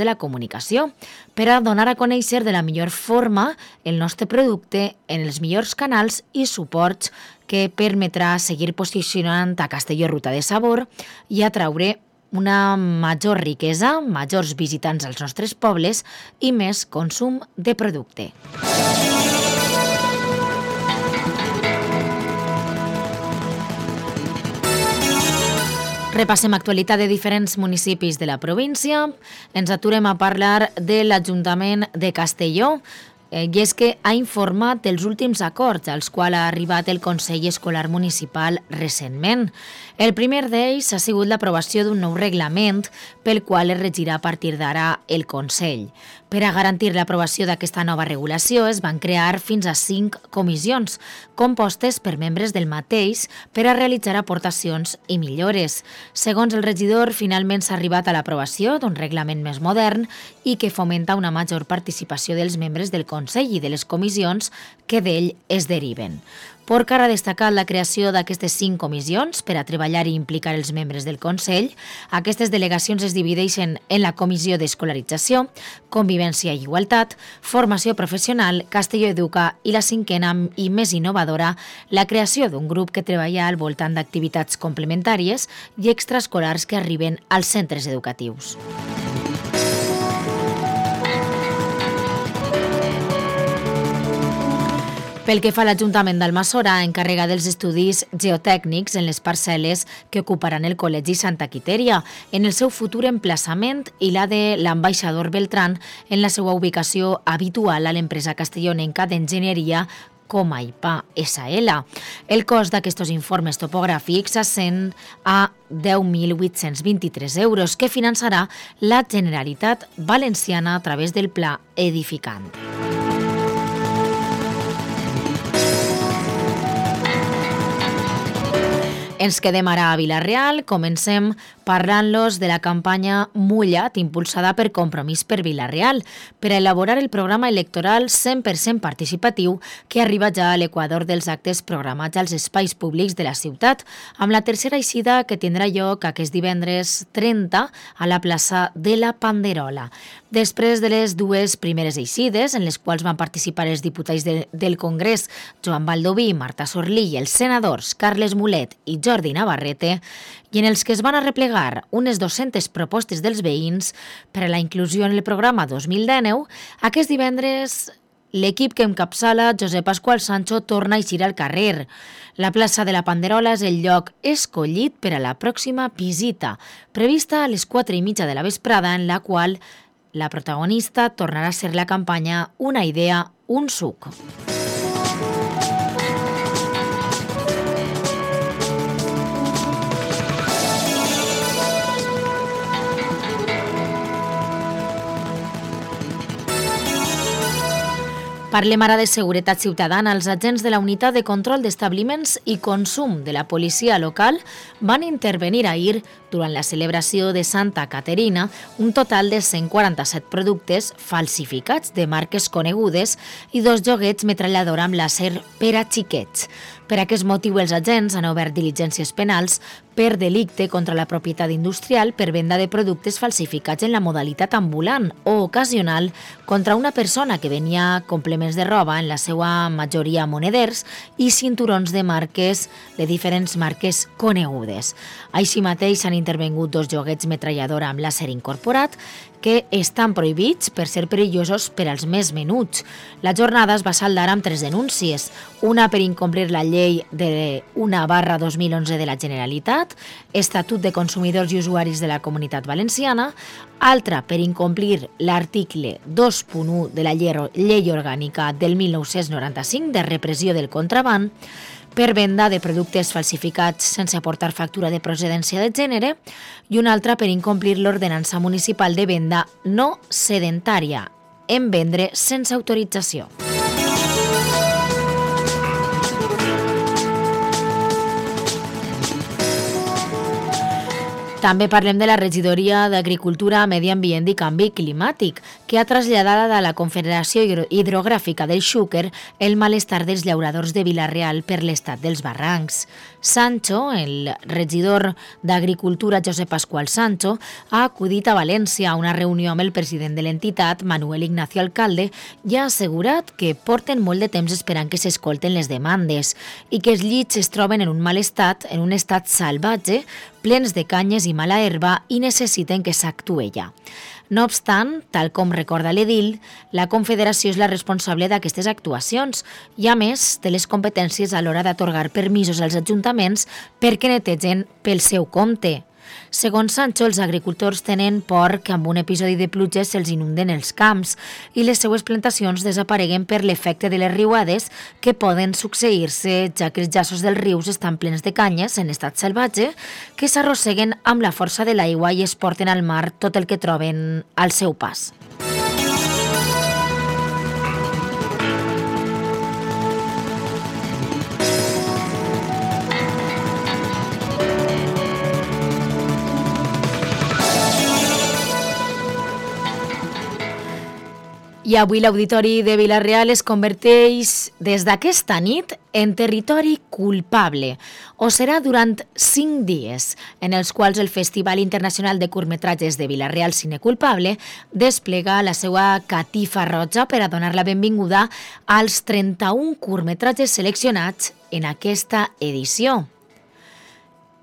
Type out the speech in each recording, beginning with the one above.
de la comunicació per a donar a conèixer de la millor forma el nostre producte en els millors canals i suports que permetrà seguir posicionant a Castelló Ruta de Sabor i atraure una major riquesa, majors visitants als nostres pobles i més consum de producte. Repassem actualitat de diferents municipis de la província. Ens aturem a parlar de l'Ajuntament de Castelló, i és que ha informat dels últims acords als quals ha arribat el Consell Escolar Municipal recentment. El primer d'ells ha sigut l'aprovació d'un nou reglament pel qual es regirà a partir d'ara el Consell. Per a garantir l'aprovació d'aquesta nova regulació es van crear fins a 5 comissions, compostes per membres del mateix per a realitzar aportacions i millores. Segons el regidor, finalment s'ha arribat a l'aprovació d'un reglament més modern i que fomenta una major participació dels membres del Consell i de les comissions que d'ell es deriven. Porcar ha destacat la creació d'aquestes 5 comissions per a treballar i implicar els membres del Consell. Aquestes delegacions es divideixen en la Comissió d'Escolarització, Convivència i Igualtat, Formació Professional, Castelló Educa i la 5a i més innovadora, la creació d'un grup que treballa al voltant d'activitats complementàries i extraescolars que arriben als centres educatius. Pel que fa a l'Ajuntament d'Almassora, encarrega dels estudis geotècnics en les parcel·les que ocuparan el Col·legi Santa Quitèria, en el seu futur emplaçament i la de l'ambaixador Beltrán en la seva ubicació habitual a l'empresa castellonenca d'enginyeria Comaipa SL. El cost d'aquests informes topogràfics ascend a 10.823 euros que finançarà la Generalitat Valenciana a través del Pla Edificant. Ens quedem ara a Vila-real, comencem parlant-los de la campanya Mullat, impulsada per Compromís per Vila-real, per a elaborar el programa electoral 100% participatiu que arriba ja a l'equador dels actes programats als espais públics de la ciutat, amb la tercera eixida que tindrà lloc aquest divendres 30 a la plaça de la Panderola. Després de les 2 primeres eixides, en les quals van participar els diputats del Congrés Joan Baldoví, Marta Sorlí i els senadors Carles Mulet i Jordi Navarrete, i en els que es van arreplegar unes 200 propostes dels veïns per a la inclusió en el programa 2019, aquest divendres l'equip que encapçala Josep Pasqual Sancho torna a eixir al carrer. La plaça de la Panderola és el lloc escollit per a la pròxima visita, prevista a les 4:30 de la vesprada, en la qual la protagonista tornarà a ser la campanya Una idea, un suc. Parlem ara de seguretat ciutadana. Els agents de la Unitat de Control d'Establiments i Consum de la policia local van intervenir ahir, durant la celebració de Santa Caterina, un total de 147 productes falsificats de marques conegudes i 2 joguets metralladora amb làser per a xiquets. Per aquest motiu, els agents han obert diligències penals per delicte contra la propietat industrial per venda de productes falsificats en la modalitat ambulant o ocasional contra una persona que venia complements de roba, en la seva majoria moneders, i cinturons de diferents marques conegudes. Així mateix s'han intervengut 2 joguets metralladora amb làser incorporat que estan prohibits per ser perillosos per als més menuts. La jornada es va saldar amb 3 denúncies, una per incomplir la llei de 1/2011 de la Generalitat, Estatut de Consumidors i Usuaris de la Comunitat Valenciana, altra per incomplir l'article 2.1 de la Llei Orgànica del 1995 de repressió del contraban, per venda de productes falsificats sense aportar factura de procedència de gènere, i una altra per incomplir l'ordenança municipal de venda no sedentària, en vendre sense autorització. També parlem de la regidoria d'Agricultura, Medi Ambient i Canvi Climàtic, que ha traslladat a la Confederació Hidrogràfica del Xúquer el malestar dels llauradors de Vila-real per l'estat dels barrancs. Sancho, el regidor d'Agricultura Josep Pascual Sancho, ha acudit a València a una reunió amb el president de l'entitat, Manuel Ignacio Alcalde, i ha assegurat que porten molt de temps esperant que s'escolten les demandes i que els llits es troben en un mal estat, en un estat salvatge, plens de canyes i mala herba i necessiten que s'actue ja. No obstant, tal com recorda l'edil, la Confederació és la responsable d'aquestes actuacions i, a més, té les competències a l'hora d'atorgar permisos als ajuntaments perquè netegen pel seu compte. Segons Sancho, els agricultors tenen por que amb un episodi de pluges se'ls inunden els camps i les seues plantacions desapareguen per l'efecte de les riuades que poden succeir-se, ja que els jassos dels rius estan plens de canyes en estat salvatge que s'arrosseguen amb la força de l'aigua i es porten al mar tot el que troben al seu pas. I avui l'Auditori de Vila-real es converteix des d'aquesta nit en territori culpable. Ho serà durant 5 dies, en els quals el Festival Internacional de Curtmetratges de Vila-real Cine Culpable desplega la seva catifa roja per a donar la benvinguda als 31 curtmetratges seleccionats en aquesta edició.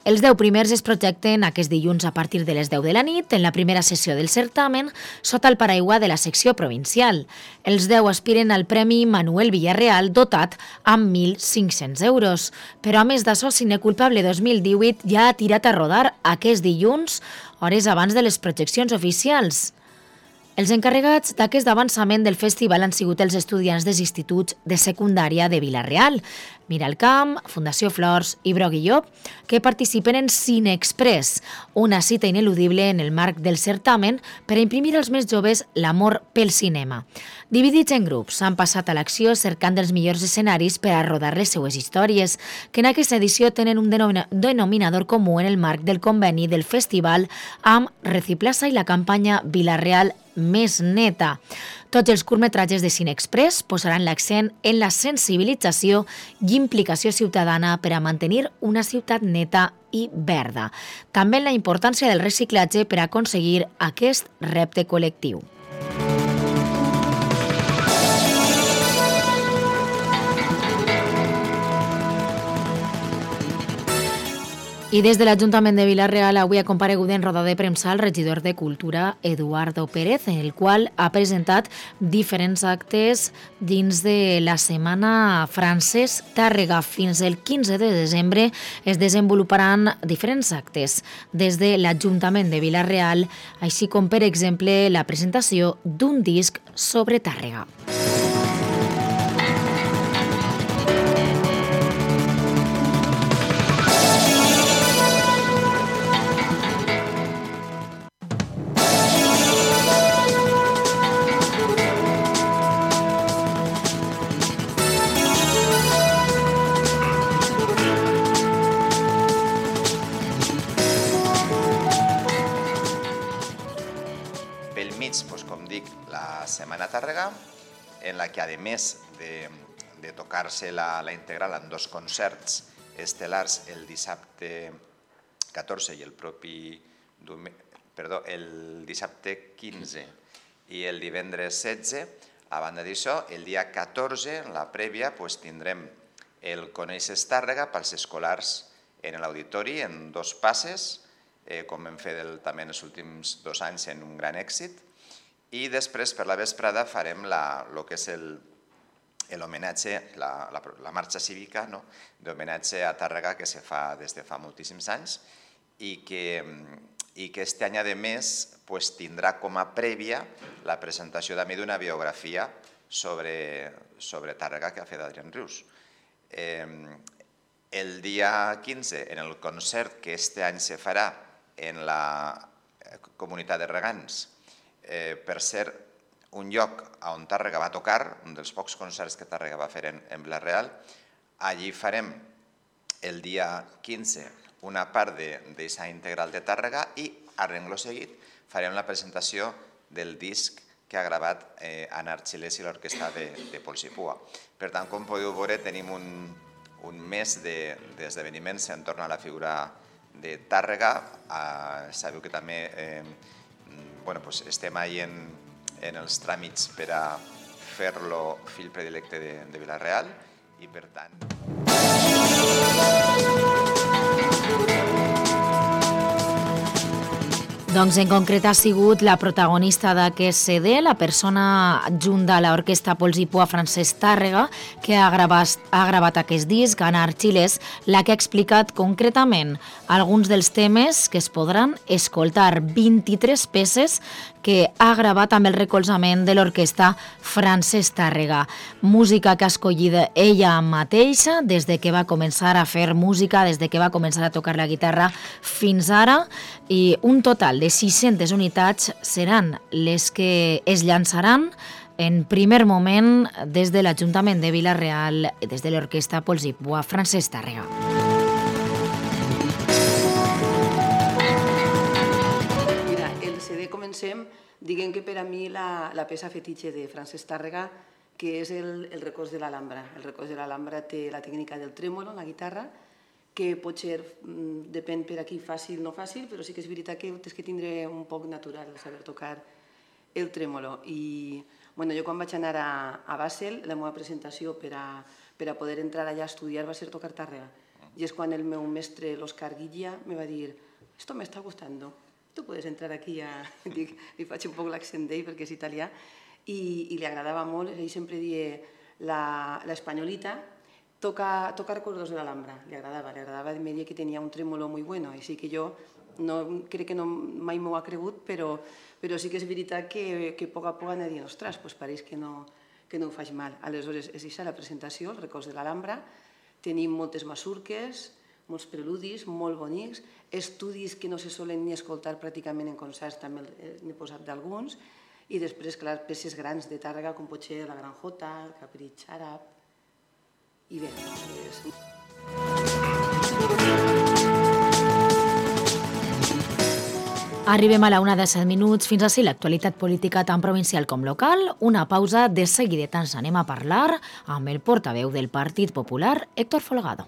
Els 10 primers es projecten aquest dilluns a partir de les 10 de la nit en la primera sessió del certamen sota el paraigua de la secció provincial. Els 10 aspiren al Premi Manuel Villarreal dotat amb 1.500 euros. Però a més d'això, Cine Culpable 2018 ja ha tirat a rodar aquest dilluns, hores abans de les projeccions oficials. Els encarregats d'aquest avançament del festival han sigut els estudiants dels instituts de secundària de Vila-real, Miralcamp, Fundació Flors i Broguilló, que participen en Cine Express, una cita ineludible en el marc del certamen per a imprimir als més joves l'amor pel cinema. Dividits en grups, han passat a l'acció cercant els millors escenaris per a rodar les seues històries, que en aquesta edició tenen un denominador comú en el marc del conveni del festival amb Reciplaça i la campanya Vila-real més neta. Tots els curtmetratges de Cine Express posaran l'accent en la sensibilització i implicació ciutadana per a mantenir una ciutat neta i verda. També en la importància del reciclatge per a aconseguir aquest repte col·lectiu. I des de l'Ajuntament de Vila-real avui ha comparegut en roda de premsa el regidor de Cultura, Eduardo Pérez, en el qual ha presentat diferents actes dins de la Setmana Francesc Tàrrega. Fins el 15 de desembre es desenvoluparan diferents actes des de l'Ajuntament de Vila-real, així com, per exemple, la presentació d'un disc sobre Tàrrega. Setmana Tàrrega, en la que, a més de tocar-se la integral en 2 concerts estel·lars el dissabte 14 i el dissabte 15 i el divendres 16, a banda d'això, el dia 14, en la prèvia, tindrem el Coneixes Tàrrega pels escolars en l'auditori, en 2 passes, com hem fet també en els últims 2 anys en un gran èxit. I després, per la vesprada, farem el que és l'homenatge, la marxa cívica d'homenatge a Tàrrega que se fa des de fa moltíssims anys i que aquest any, a més, tindrà com a prèvia la presentació també d'una biografia sobre Tàrrega que ha fet Adrián Rius. El dia 15, en el concert que aquest any se farà en la comunitat de regants, per ser un lloc on Tàrrega va tocar, un dels pocs concerts que Tàrrega va fer en Vila-real. Allí farem el dia 15 una part d'aquesta integral de Tàrrega i, a rengló seguit, farem la presentació del disc que ha gravat Anar Xilès i l'orquestra de Pols i Pua. Per tant, com podeu veure, tenim un mes d'esdeveniments entorn a la figura de Tàrrega. Sabeu que també estem ahí en els tràmits per a fer-lo fill predilecte de Vila-real i, per tant... Doncs en concret ha sigut la protagonista d'aquest CD, la persona adjunt de l'orquestra Pols i Pua, Francesc Tàrrega, que ha gravat aquest disc, Anar Xilès, la que ha explicat concretament alguns dels temes que es podran escoltar, 23 peces que ha gravat amb el recolzament de l'orquestra Francesc Tàrrega. Música que ha escollit ella mateixa des de que va començar a fer música, des de que va començar a tocar la guitarra fins ara, i un total de 600 unitats seran les que es llançaran en primer moment des de l'Ajuntament de Vila-real, des de l'orquestra Pols i Pua, Francesc Tàrrega. Mira, el CD comencem, diguem que per a mi la peça fetitxe de Francesc Tàrrega, que és el recors de l'Alhambra. El recors de l'Alhambra té la tècnica del trèmolo, la guitarra, que potser depèn per aquí fàcil o no fàcil, però sí que és veritat que tens que tindre un poc natural saber tocar el trèmolo. I jo quan vaig anar a Basel, la meva presentació per a poder entrar allà a estudiar va ser tocar Tàrrega. I és quan el meu mestre, l'Òscar Guilla, me va dir «Esto me está gustando, tu puedes entrar aquí». Li faig un poc l'accent d'ell perquè és italià i li agradava molt. Ell sempre dia l'espanyolita, toca recuerdos de l'Alhambra, li agradava, me deia que tenia un trèmolo muy bueno, així que jo crec que mai m'ho ha cregut, però sí que és veritat que a poc a poc anava dient, ostres, pareix que no ho faig mal. Aleshores, és això la presentació, el records de l'Alhambra, tenim moltes masurques, molts preludis, molt bonics, estudis que no se solen ni escoltar pràcticament en concerts, també n'he posat d'alguns, i després, clar, peces grans de Tàrrega, com pot ser la Gran Jota, el Capritx àrab, i bé, Arribem a la 1:07. Fins ací l'actualitat política tant provincial com local. Una pausa, de seguida ens anem a parlar amb el portaveu del Partit Popular, Héctor Folgado.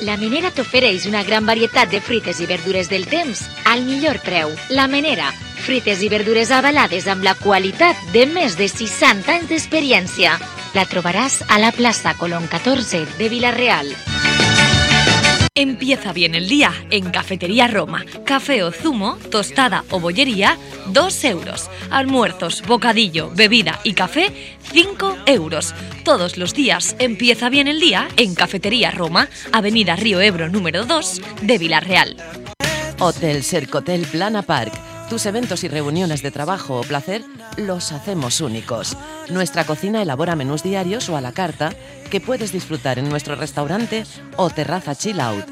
La Menera t'ofereix una gran varietat de fruites i verdures del temps al millor preu. La Menera, fruites i verdures avalades amb la qualitat de més de 60 anys d'experiència. La trobaràs a la plaça Colón 14 de Vila-real. Empieza bien el día en Cafetería Roma. Café o zumo, tostada o bollería, 2 euros. Almuerzos, bocadillo, bebida y café, 5 euros. Todos los días empieza bien el día en Cafetería Roma, Avenida Río Ebro número 2 de Vila-real. Hotel Sercotel Plana Park. Tus eventos y reuniones de trabajo o placer los hacemos únicos. Nuestra cocina elabora menús diarios o a la carta que puedes disfrutar en nuestro restaurante o terraza chill out.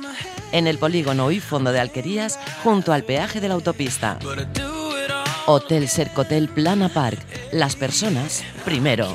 En el polígono y fondo de Alquerías, junto al peaje de la autopista. Hotel Sercotel Plana Park. Las personas primero.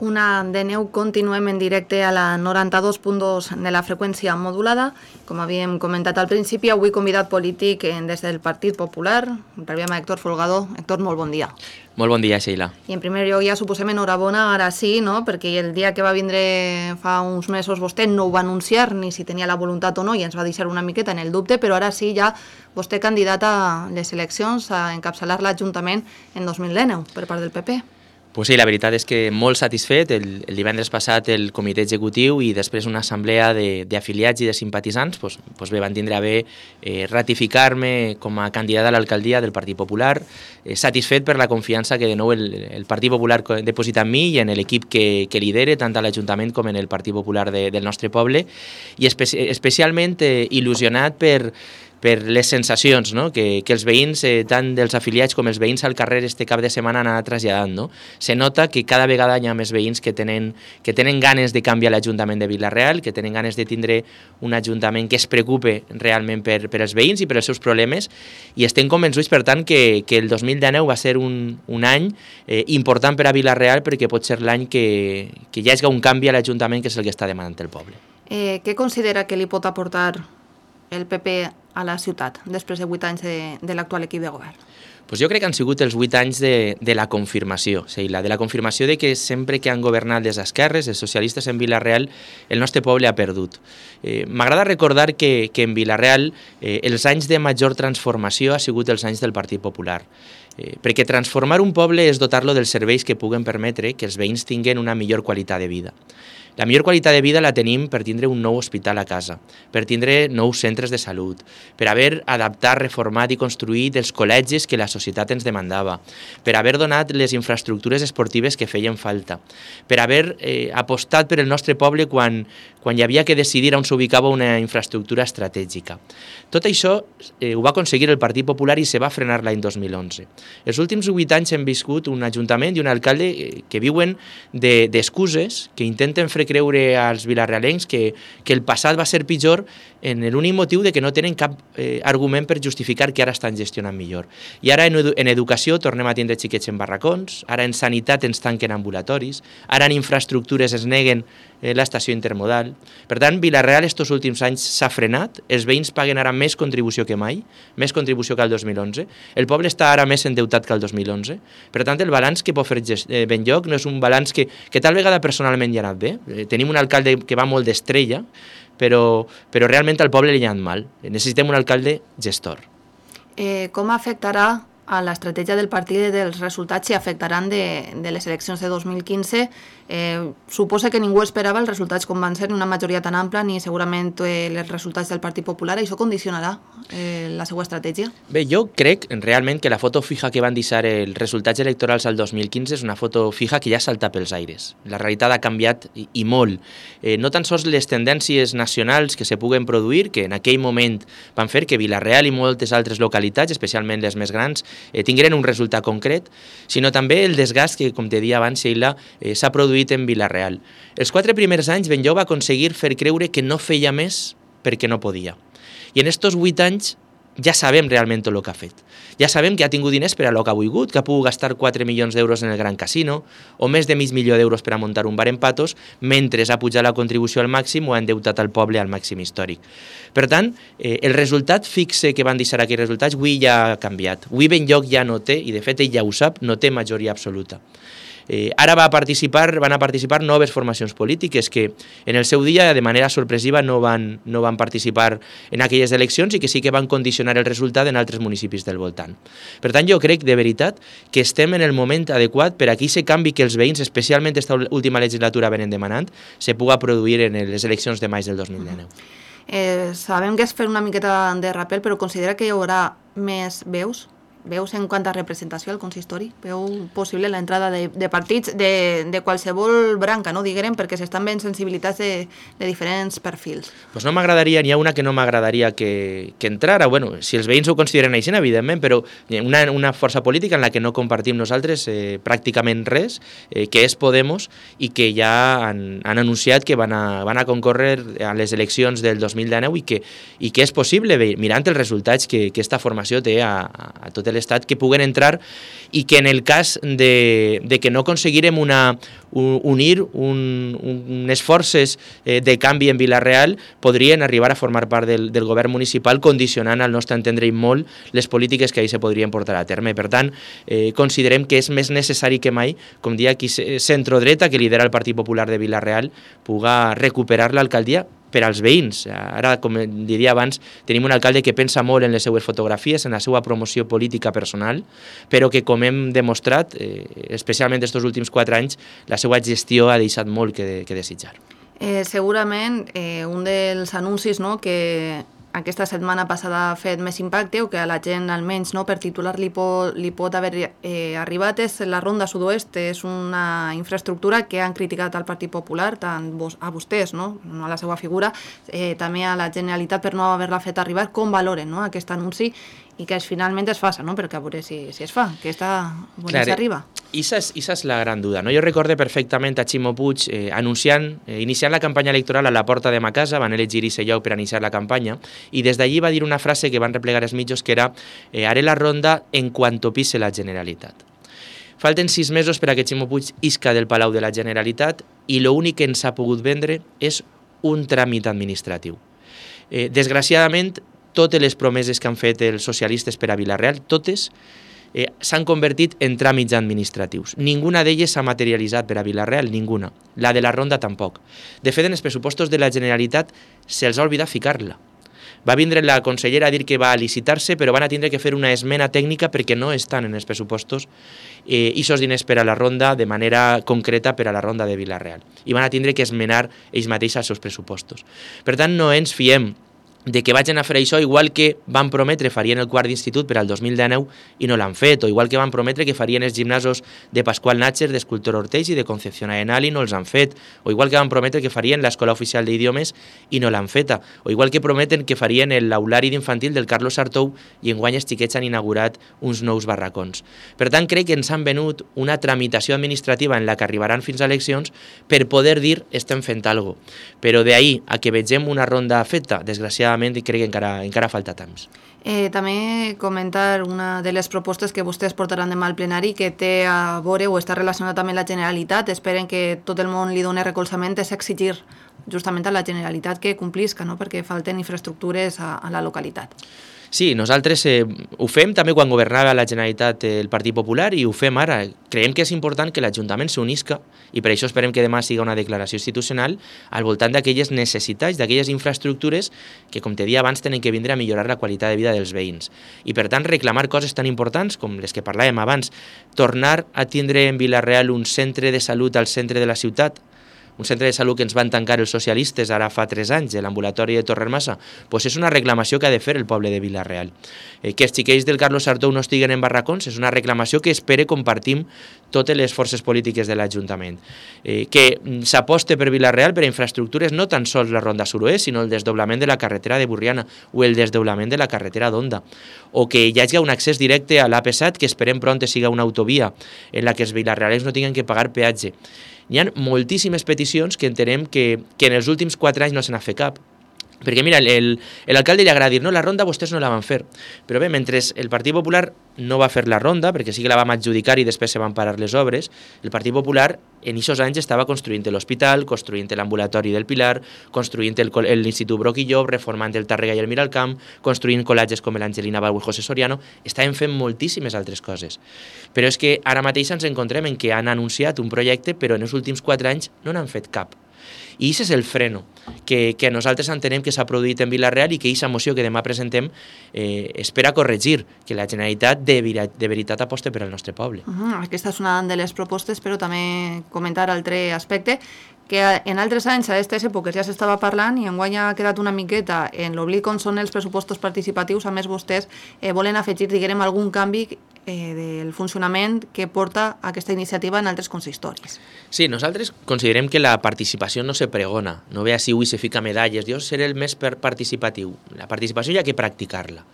Una de neu, continuem en directe a la 92.2 de la freqüència modulada. Com havíem comentat al principi, avui convidat polític des del Partit Popular. Rebem a Héctor Folgado. Héctor, molt bon dia. Molt bon dia, Sheila. I en primer lloc ja suposem enhorabona, ara sí, no? Perquè el dia que va vindre fa uns mesos vostè no ho va anunciar ni si tenia la voluntat o no i ens va deixar una miqueta en el dubte, però ara sí ja vostè candidat a les eleccions a encapçalar l'Ajuntament en 2019 per part del PP. Pues sí, la veritat és que molt satisfet. El divendres passat el comitè executiu i després una assemblea d'afiliats i de simpatitzants bé, van tindre a bé ratificar-me com a candidat a l'alcaldia del Partit Popular, satisfet per la confiança que de nou el Partit Popular deposita en mi i en l'equip que lidere, tant a l'Ajuntament com en el Partit Popular del nostre poble, i especialment il·lusionat per les sensacions, no? que els veïns, tant dels afiliats com els veïns al carrer este cap de setmana han anat traslladant. No? Se nota que cada vegada hi ha més veïns que tenen ganes de canviar l'Ajuntament de Vila-real, que tenen ganes de tindre un Ajuntament que es preocupe realment per els veïns i per els seus problemes, i estem convençuts, per tant, que el 2019 va ser un any important per a Vila-real, perquè pot ser l'any que hi hagi un canvi a l'Ajuntament, que és el que està demanant el poble. Què considera que li pot aportar el PP a la ciutat després de 8 anys de l'actual equip de govern? Pues jo crec que han sigut els 8 anys de la confirmació, de la confirmació de que sempre que han governat les esquerres, els socialistes en Vila-real, el nostre poble ha perdut. M'agrada recordar que en Vila-real els anys de major transformació ha sigut els anys del Partit Popular. Perquè transformar un poble és dotar-lo dels serveis que puguen permetre que els veïns tinguin una millor qualitat de vida. La millor qualitat de vida la tenim per tindre un nou hospital a casa, per tindre nous centres de salut, per haver adaptat, reformat i construït els col·legis que la societat ens demandava, per haver donat les infraestructures esportives que feien falta, per haver apostat per el nostre poble quan hi havia que decidir on s'ubicava una infraestructura estratègica. Tot això ho va aconseguir el Partit Popular i se va frenar l'any 2011. Els últims 8 anys hem viscut un ajuntament i un alcalde que viuen d'excuses, que intenten fer creure als vilarealencs que el passat va ser pitjor en l'únic motiu de que no tenen cap argument per justificar que ara estan gestionant millor. I ara en educació tornem a tindre xiquets en barracons, ara en sanitat ens tanquen ambulatoris, ara en infraestructures es neguen l'estació intermodal. Per tant, Vila-real estos últims anys s'ha frenat, els veïns paguen ara més contribució que mai, més contribució que el 2011, el poble està ara més endeutat que el 2011, per tant el balanç que pot fer Benlloc no és un balanç que tal vegada personalment hi ha anat bé, tenim un alcalde que va molt d'estrella, però realment al poble li ha anat mal, necessitem un alcalde gestor. Com afectarà a l'estratègia del partit dels resultats si afectaran de les eleccions de 2015? Suposa que ningú esperava els resultats com van ser, ni una majoria tan ampla, ni segurament els resultats del Partit Popular. Això condicionarà la seva estratègia? Bé, jo crec realment que la foto fija que van deixar els resultats electorals al 2015 és una foto fija que ja salta pels aires. La realitat ha canviat i molt. No tan sols les tendències nacionals que se puguen produir, que en aquell moment van fer que Vila-real i moltes altres localitats, especialment les més grans, tingueren un resultat concret, sinó també el desgast que, com te deia abans, Sheila, s'ha produït en Vila-real. Els 4 primers anys Benlloc va aconseguir fer creure que no feia més perquè no podia. I en estos 8 anys ja sabem realment tot el que ha fet. Ja sabem que ha tingut diners per a lo que ha volgut, que ha pogut gastar 4 milions d'euros en el Gran Casino, o més de mig milió d'euros per a muntar un bar en Patos, mentre ha pujat la contribució al màxim o ha endeutat al poble al màxim històric. Per tant, el resultat fixe que van deixar aquells resultats avui ja ha canviat. Avui Benlloc ja no té, i de fet ell ja ho sap, no té majoria absoluta. Ara van a participar noves formacions polítiques que en el seu dia de manera sorpresiva no van participar en aquelles eleccions i que sí que van condicionar el resultat en altres municipis del voltant. Per tant, jo crec de veritat que estem en el moment adequat per a que aquest canvi que els veïns, especialment aquesta última legislatura, venen demanant, se puga produir en les eleccions de maig del 2019. Sabem que és fer una miqueta de rappel, però considera que hi haurà més veus en quant a representació al consistori? Veu possible l'entrada de partits de qualsevol branca, no diguem, perquè s'estan ben sensibilitats de diferents perfils? Pues no m'agradaria, n'hi ha una que no m'agradaria que entrara, bueno, si els veïns ho consideren així, evidentment, però una força política en la que no compartim nosaltres pràcticament res, que és Podemos, i que ja han anunciat que van a concórrer a les eleccions del 2019 i que és possible, mirant els resultats que aquesta formació té a tot l'Estat, que puguen entrar i que en el cas de que no aconseguirem unir unes forces de canvi en Vila-real, podrien arribar a formar part del govern municipal, condicionant al nostre entendre i molt les polítiques que ahir se podrien portar a terme. Per tant, considerem que és més necessari que mai, com dia aquí centrodreta que lidera el Partit Popular de Vila-real, puga recuperar l'alcaldia per als veïns. Ara, com diria abans, tenim un alcalde que pensa molt en les seues fotografies, en la seva promoció política personal, però que, com hem demostrat, especialment aquests últims 4 anys, la seva gestió ha deixat molt que desitjar. Segurament, un dels anuncis que aquesta setmana passada ha fet més impacte o que a la gent almenys per titular li pot haver arribat és la Ronda Sud-oest. És una infraestructura que han criticat al Partit Popular, tant a vostès, no a la seva figura, també a la Generalitat per no haver-la fet arribar. Com valoren aquest anunci i que finalment es faça, perquè a veure si es fa, que s'arriba. Esa es la gran duda, no? Jo recorde perfectament a Ximo Puig iniciant la campanya electoral a la porta de ma casa, van elegir ese lloc per iniciar la campanya, i des d'allí va dir una frase que van replegar els mitjos que era «Haré la ronda en cuanto pise la Generalitat». Falten 6 mesos per a que Ximo Puig isca del Palau de la Generalitat i l'únic que ens ha pogut vendre és un tràmit administratiu. Desgraciadament, totes les promeses que han fet els socialistes per a Vila-real, totes s'han convertit en tràmits administratius. Ninguna d'elles s'ha materialitzat per a Vila-real, ninguna. La de la Ronda tampoc. De fet, en els pressupostos de la Generalitat se'ls ha oblidat ficar-la. Va vindre la consellera a dir que va a licitar-se, però van a tindre que fer una esmena tècnica perquè no estan en els pressupostos aquests diners per a la Ronda de manera concreta per a la Ronda de Vila-real. I van a tindre que esmenar ells mateixos els seus pressupostos. Per tant, no ens fiem de que vagin a fer això, igual que van prometre farien el quart d'institut per al 2019 i no l'han fet, o igual que van prometre que farien els gimnasos de Pasqual Natxer, d'Escultor Ortells i de Concepción Arenal i no els han fet, o igual que van prometre que farien l'Escola Oficial d'Idiomes i no l'han feta, o igual que prometen que farien l'aulari d'infantil del Carlos Sartou i enguany els xiquets han inaugurat uns nous barracons. Per tant, crec que ens han venut una tramitació administrativa en la que arribaran fins a eleccions per poder dir estem fent alguna cosa. Però d'ahir a que vegem una ronda feta, desgraciadament, i crec que encara falta temps. També comentar una de les propostes que vostès portaran demà al plenari que té a veure o està relacionada també amb la Generalitat. Esperen que tot el món li doni recolzament, és exigir justament a la Generalitat que complisca, perquè falten infraestructures a la localitat. Sí, nosaltres ho fem també quan governava la Generalitat el Partit Popular i ho fem ara. Creiem que és important que l'Ajuntament s'unisca i per això esperem que demà siga una declaració institucional al voltant d'aquelles necessitats, d'aquelles infraestructures que, com te deia abans, tenen que vindre a millorar la qualitat de vida dels veïns. I per tant reclamar coses tan importants com les que parlàvem abans, tornar a tindre en Vila-real un centre de salut al centre de la ciutat, un centre de salut que ens van tancar els socialistes ara fa 3 anys, l'ambulatori de Torrermassa, doncs és una reclamació que ha de fer el poble de Vila-real. Que els xiquets del Carlos Sartou no estiguen en barracons és una reclamació que espero compartim totes les forces polítiques de l'Ajuntament. Que s'aposte per Vila-real per a infraestructures no tan sols la Ronda Sud-oest, sinó el desdoblament de la carretera de Burriana o el desdoblament de la carretera d'Onda. O que hi hagi un accés directe a l'AP7 que esperem pront siga una autovia en la que els vilarealens no tinguin que pagar peatge. Hi ha moltíssimes peticions que entenem que en els últims 4 anys no se n'ha fet cap. Perquè mira, l'alcalde li agrada dir no, la ronda vostès no la van fer. Però bé, mentre el Partit Popular no va fer la ronda, perquè sí que la vam adjudicar i després se van parar les obres, el Partit Popular en aquests anys estava construint l'hospital, construint l'ambulatori del Pilar, construint l'Institut Broc i Llop, reformant el Tàrrega i el Miralcamp, construint col·legis com l'Angelina Bau i José Soriano, estaven fent moltíssimes altres coses. Però és que ara mateix ens encontrem en que han anunciat un projecte, però en els últims 4 anys no n'han fet cap. I aquest és el freno que nosaltres entenem que s'ha produït en Vila-real i que aquesta moció que demà presentem espera corregir, que la Generalitat de veritat aposte per al nostre poble. Aquesta és una de les propostes, però també comentar altre aspecte, que en altres anys a aquestes èpoques ja s'estava parlant i enguany ha quedat una miqueta en l'oblit com són els pressupostos participatius. A més, vostès volen afegir, diguem, algun canvi del funcionament que porta aquesta iniciativa en altres consistoris. Sí, nosaltres considerem que la participació no se pregona, no ve així avui se fica medalles, jo seré el més participatiu. La participació hi ha que practicar-la.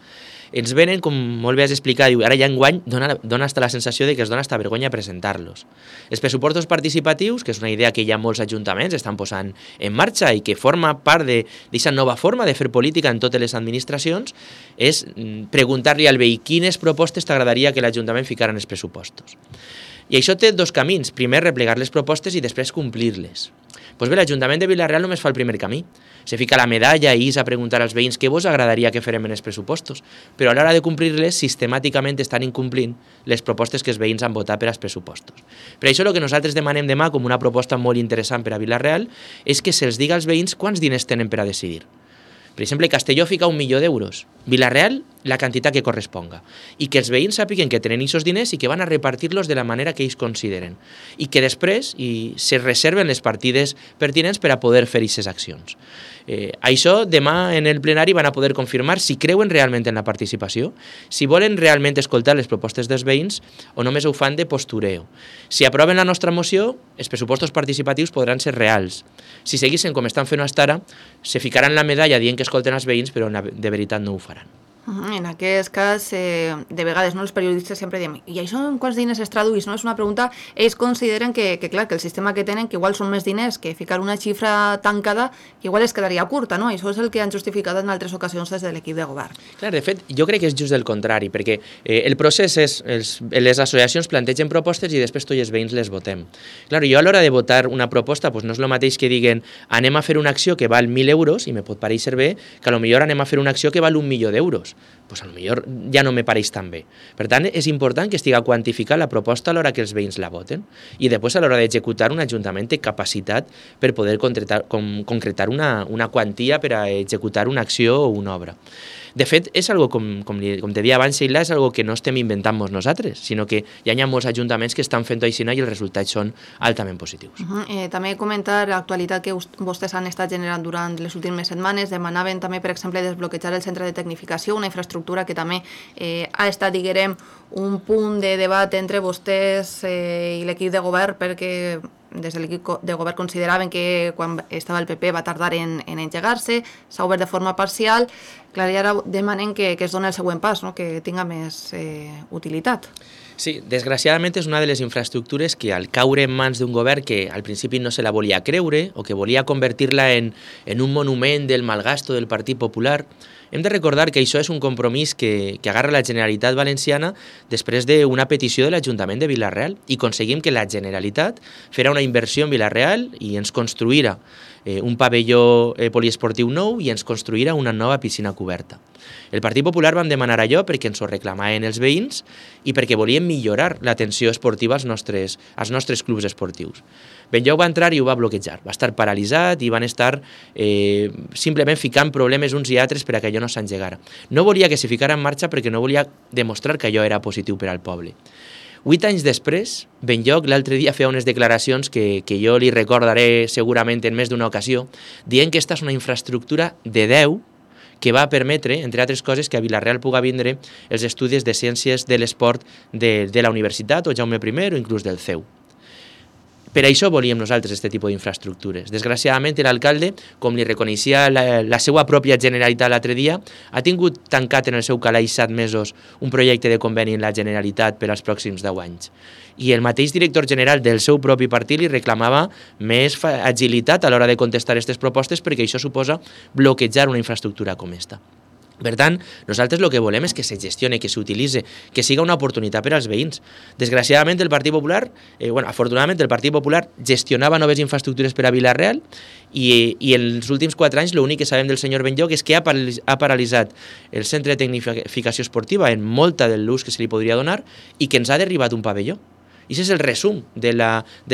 Ens venen, com molt bé has explicat, ara ja enguany dona hasta la sensació de que es dona hasta vergonya presentar-los. Els pressupostos participatius, que és una idea que ja molts ajuntaments estan posant en marxa i que forma part d'aquesta nova forma de fer política en totes les administracions, és preguntar-li al veí quines propostes t'agradaria que l'Ajuntament ficara en els pressupostos. I això té 2 camins. Primer, replegar les propostes i després complir-les. Doncs bé, l'Ajuntament de Vila-real només fa el primer camí. Se fica la medalla i és a preguntar als veïns què vos agradaria que farem en els pressupostos, però a l'hora de complir-les, sistemàticament estan incomplint les propostes que els veïns han votat per als pressupostos. Per això el que nosaltres demanem demà, com una proposta molt interessant per a Vila-real, és que se'ls diga als veïns quants diners tenen per a decidir. Per exemple, Castelló fica 1 milió d'euros, Vila-real la quantitat que corresponga, i que els veïns sàpiguen que tenen aquests diners i que van a repartir-los de la manera que ells consideren, i que després se reserven les partides pertinents per a poder fer aquestes accions. Això demà en el plenari van a poder confirmar si creuen realment en la participació, si volen realment escoltar les propostes dels veïns o només ho fan de postureo. Si aproven la nostra moció, els pressupostos participatius podran ser reals. Si seguissin com estan fent fins ara, se ficaran la medalla dient que escolten els veïns, però de veritat no ho faran. En aquest cas, de vegades, els periodistes sempre diem i això en quants diners es tradueix? És una pregunta. Ells consideren que el sistema que tenen, que igual són més diners que ficar una xifra tancada, que igual es quedaria curta, no? Això és el que han justificat en altres ocasions des de l'equip de govern. Clar, de fet, jo crec que és just el contrari, perquè el procés és, les associacions plantegen propostes i després tots els veïns les votem. Clar, jo a l'hora de votar una proposta no és el mateix que diguen anem a fer una acció que val 1.000 euros i me pot pareixer bé, que potser anem a fer una acció que val 1 milió d'euros. Pues a lo millor ja no me pareix tan bé. Per tant, és important que estigui quantificada la proposta a l'hora que els veïns la voten i després a l'hora d'executar un ajuntament té capacitat per poder concretar una quantia per a executar una acció o una obra. De fet, és algo, com te deia abans, Sheila, és algo que no estem inventant-nos nosaltres, sinó que ja hi ha molts ajuntaments que estan fent-ho així i els resultats són altament positius. També comentar l'actualitat que vostès han estat generant durant les últimes setmanes. Demanaven també, per exemple, desbloquejar el centre de tecnificació, una infraestructura que també ha estat, diguem, un punt de debat entre vostès i l'equip de govern, perquè des de l'equip de govern consideraven que quan estava el PP va tardar en engegar-se, s'ha obert de forma parcial. Clar, i ara demanen que es doni el següent pas, no? Que tinga més utilitat. Sí, desgraciadament és una de les infraestructures que al caure en mans d'un govern que al principi no se la volia creure o que volia convertir-la en un monument del malgasto del Partit Popular, hem de recordar que això és un compromís que agarra la Generalitat Valenciana després d'una petició de l'Ajuntament de Vila-real i aconseguim que la Generalitat fera una inversió en Vila-real i ens construïra un pavelló poliesportiu nou i ens construïra una nova piscina coberta. El Partit Popular vam demanar allò perquè ens ho reclamaven els veïns i perquè volíem millorar l'atenció esportiva als nostres clubs esportius. Benlloc va entrar i ho va bloquejar, va estar paralitzat i van estar simplement ficant problemes uns i altres per a que allò no s'engegara. No volia que se ficara en marxa perquè no volia demostrar que allò era positiu per al poble. 8 anys després, Benlloc l'altre dia feia unes declaracions que jo li recordaré segurament en més d'una ocasió, dient que aquesta és una infraestructura de 10 que va permetre, entre altres coses, que a Vila-real puga vindre els estudis de ciències de l'esport de la universitat o Jaume I o inclús del CEU. Per això volíem nosaltres aquest tipus d'infraestructures. Desgraciadament, l'alcalde, com li reconeixia la seva pròpia Generalitat l'altre dia, ha tingut tancat en el seu calaix 7 mesos un projecte de conveni en la Generalitat per als pròxims 10 anys. I el mateix director general del seu propi partit li reclamava més agilitat a l'hora de contestar aquestes propostes perquè això suposa bloquejar una infraestructura com aquesta. Per tant, nosaltres el que volem és que se gestioni, que s'utilitzi, que siga una oportunitat per als veïns. Desgraciadament, el Partit Popular, afortunadament, el Partit Popular gestionava noves infraestructures per a Vila-real i en els últims 4 anys l'únic que sabem del senyor Benlloc és que ha paralitzat el centre de tecnificació esportiva en molta de l'ús que se li podria donar i que ens ha derribat un pavelló. I aquest és el resum de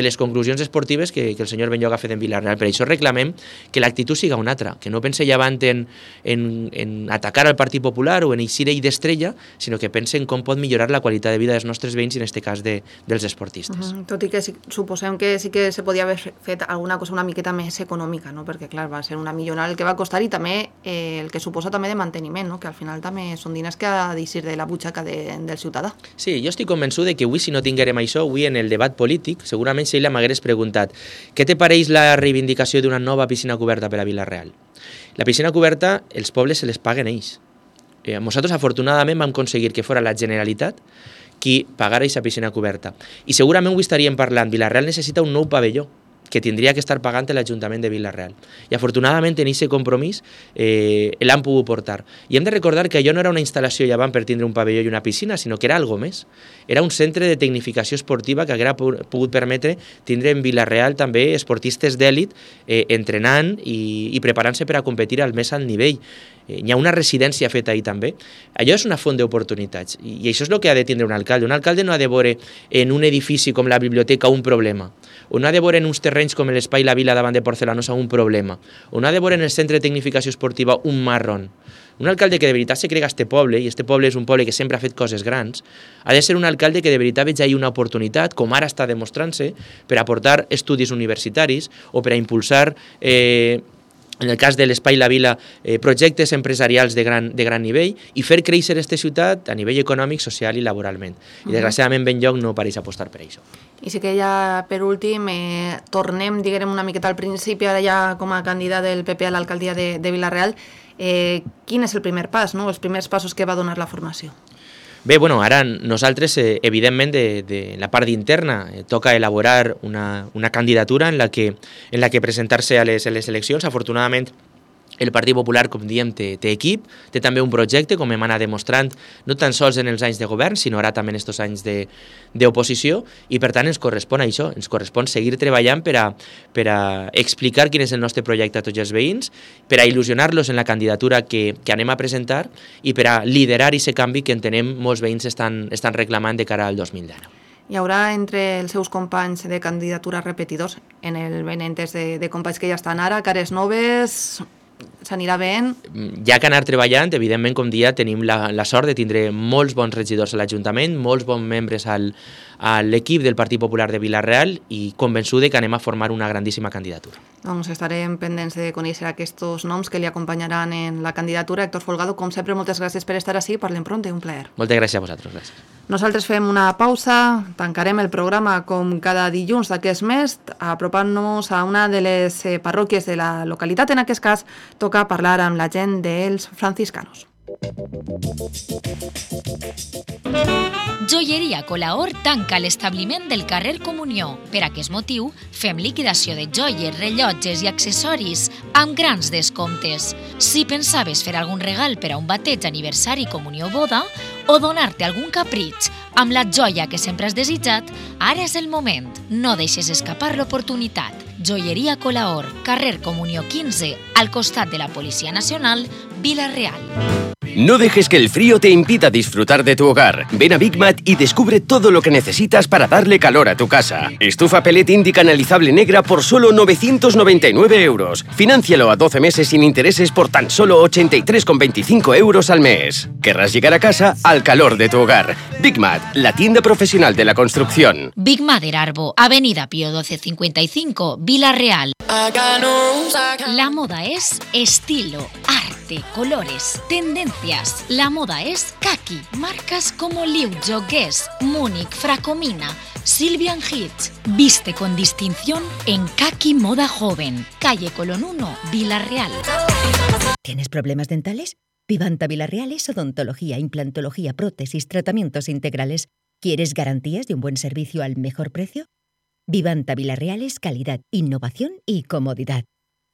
les conclusions esportives que el senyor Benlloc ha fet en Vila-real. Per això reclamem que l'actitud siga una altra, que no pense llevant en atacar al Partit Popular o en eixir ell d'estrella, sinó que pense en com pot millorar la qualitat de vida dels nostres veïns i en aquest cas dels esportistes. Tot i que suposem que sí que se podia haver fet alguna cosa una miqueta més econòmica, no? Perquè clar, va ser una millonada el que va costar i també el que suposa també de manteniment, no? Que al final també són diners que ha d'eixir de la butxaca del ciutadà. Sí, jo estic convençut que avui si no tinguérem això, avui en el debat polític, segurament Sheila m'hagués preguntat què te pareix la reivindicació d'una nova piscina coberta per a Vila-real? La piscina coberta, els pobles se les paguen ells. Nosaltres, afortunadament, vam aconseguir que fora la Generalitat qui pagara aquesta piscina coberta. I segurament avui estaríem parlant, Vila-real necessita un nou pavelló que tindria que estar pagant l'Ajuntament de Vila-real. I afortunadament en aquest compromís l'han pogut portar. I hem de recordar que allò no era una instal·lació llevant per tindre un pavelló i una piscina, sinó que era algo més. Era un centre de tecnificació esportiva que haguera pogut permetre tindre en Vila-real també esportistes d'èlit entrenant i preparant-se per a competir al més alt nivell. hi ha una residència feta ahir també. Allò és una font d'oportunitats i això és el que ha de tindre un alcalde. Un alcalde no ha de veure en un edifici com la biblioteca un problema, o no ha de veure en uns terrenys com l'Espai La Vila davant de Porcelanosa un problema, o no ha de veure en el Centre de Tecnificació Esportiva un marrón. Un alcalde que de veritat se crega este poble, i este poble és un poble que sempre ha fet coses grans, ha de ser un alcalde que de veritat veig ahir una oportunitat, com ara està demostrant-se, per aportar estudis universitaris o per a impulsar, en el cas de l'Espai La Vila, projectes empresarials de gran nivell i fer créixer aquesta ciutat a nivell econòmic, social i laboralment. I desgraciadament Benlloc no pareix apostar per això. I sí que ja, per últim, tornem, diguem, una miqueta al principi, ara ja com a candidat del PP a l'alcaldia de Vila-real. Quin és el primer pas, no? Els primers passos que va donar la formació? Bé, bueno, ara nosaltres, evidentment, de la part interna, toca elaborar una candidatura en la que presentar-se a les eleccions. Afortunadament, el Partit Popular, com diem, té equip, té també un projecte, com hem anat demostrant, no tan sols en els anys de govern, sinó ara també en aquests anys d'oposició, i per tant ens correspon això, ens correspon seguir treballant per a explicar quin és el nostre projecte a tots els veïns, per a il·lusionar-los en la candidatura que anem a presentar i per a liderar aquest canvi que entenem molts veïns estan reclamant de cara al 2019. Hi haurà entre els seus companys de candidatura repetidors, en el benentès de companys que ja estan ara, cares noves, s'anirà veient? Hi ha que anar treballant, evidentment, com dia, tenim la sort de tindre molts bons regidors a l'Ajuntament, molts bons membres a l'equip del Partit Popular de Vila-real i convençude que anem a formar una grandíssima candidatura. Doncs estarem pendents de conèixer aquests noms que li acompanyaran en la candidatura. Héctor Folgado, com sempre, moltes gràcies per estar ací. Parlem pronte, un plaer. Moltes gràcies a vosaltres. Gràcies. Nosaltres fem una pausa, tancarem el programa com cada dilluns d'aquest mes, apropant-nos a una de les parròquies de la localitat. En aquest cas, toca parlar amb la gent dels franciscanos. Joieria Colaor tanca l'establiment del carrer Comunió. Per aquest motiu, fem liquidació de joies, rellotges i accessoris amb grans descomptes. Si pensaves fer algun regal per a un bateig, aniversari, comunió o boda, o donar-te algun capritx amb la joia que sempre has desitjat, ara és el moment. No deixes escapar l'oportunitat. Joieria Colaor, carrer Comunió 15, al costat de la Policia Nacional, Vila-real. No dejes que el frío te impida disfrutar de tu hogar. Ven a Big Mat y descubre todo lo que necesitas para darle calor a tu casa. Estufa pellet Indy canalizable negra por solo 999 euros. Fináncialo a 12 meses sin intereses por tan solo 83,25 euros al mes. Querrás llegar a casa al calor de tu hogar. Big Mat, la tienda profesional de la construcción. Big Mat Arbo, Avenida Pío 1255, Vila-real. La moda es estilo, arte, colores, tendencias. La moda es kaki. Marcas como Liujo, Guess, Múnich, Fracomina, Sylvian Hitch. Viste con distinción en Kaki Moda Joven. Calle Colón 1, Vila-real. ¿Tienes problemas dentales? Vivanta Vila-real es odontología, implantología, prótesis, tratamientos integrales. ¿Quieres garantías de un buen servicio al mejor precio? Vivanta Vila-real es calidad, innovación y comodidad.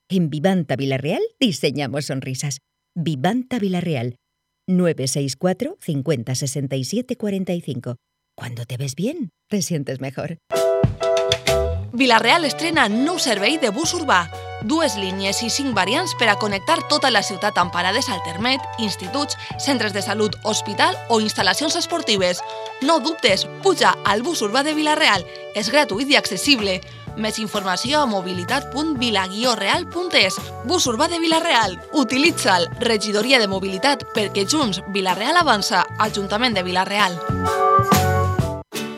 En Vivanta Vila-real diseñamos sonrisas. Vivanta Vila-real, 964 50 67 45. Cuando te ves bien, te sientes mejor. Vila-real estrena nou servei de bus urbà. 2 línies i 5 variants per a connectar tota la ciutat amb parades Altermet, instituts, centres de salut, hospital o instal·lacions esportives. No dubtes, puja al bus urbà de Vila-real. És gratuït i accessible. Més informació a mobilitat.vila-real.es. Bus urbà de Vila-real. Utilitza'l. Regidoria de Mobilitat, perquè junts Vila-real avança. Ajuntament de Vila-real.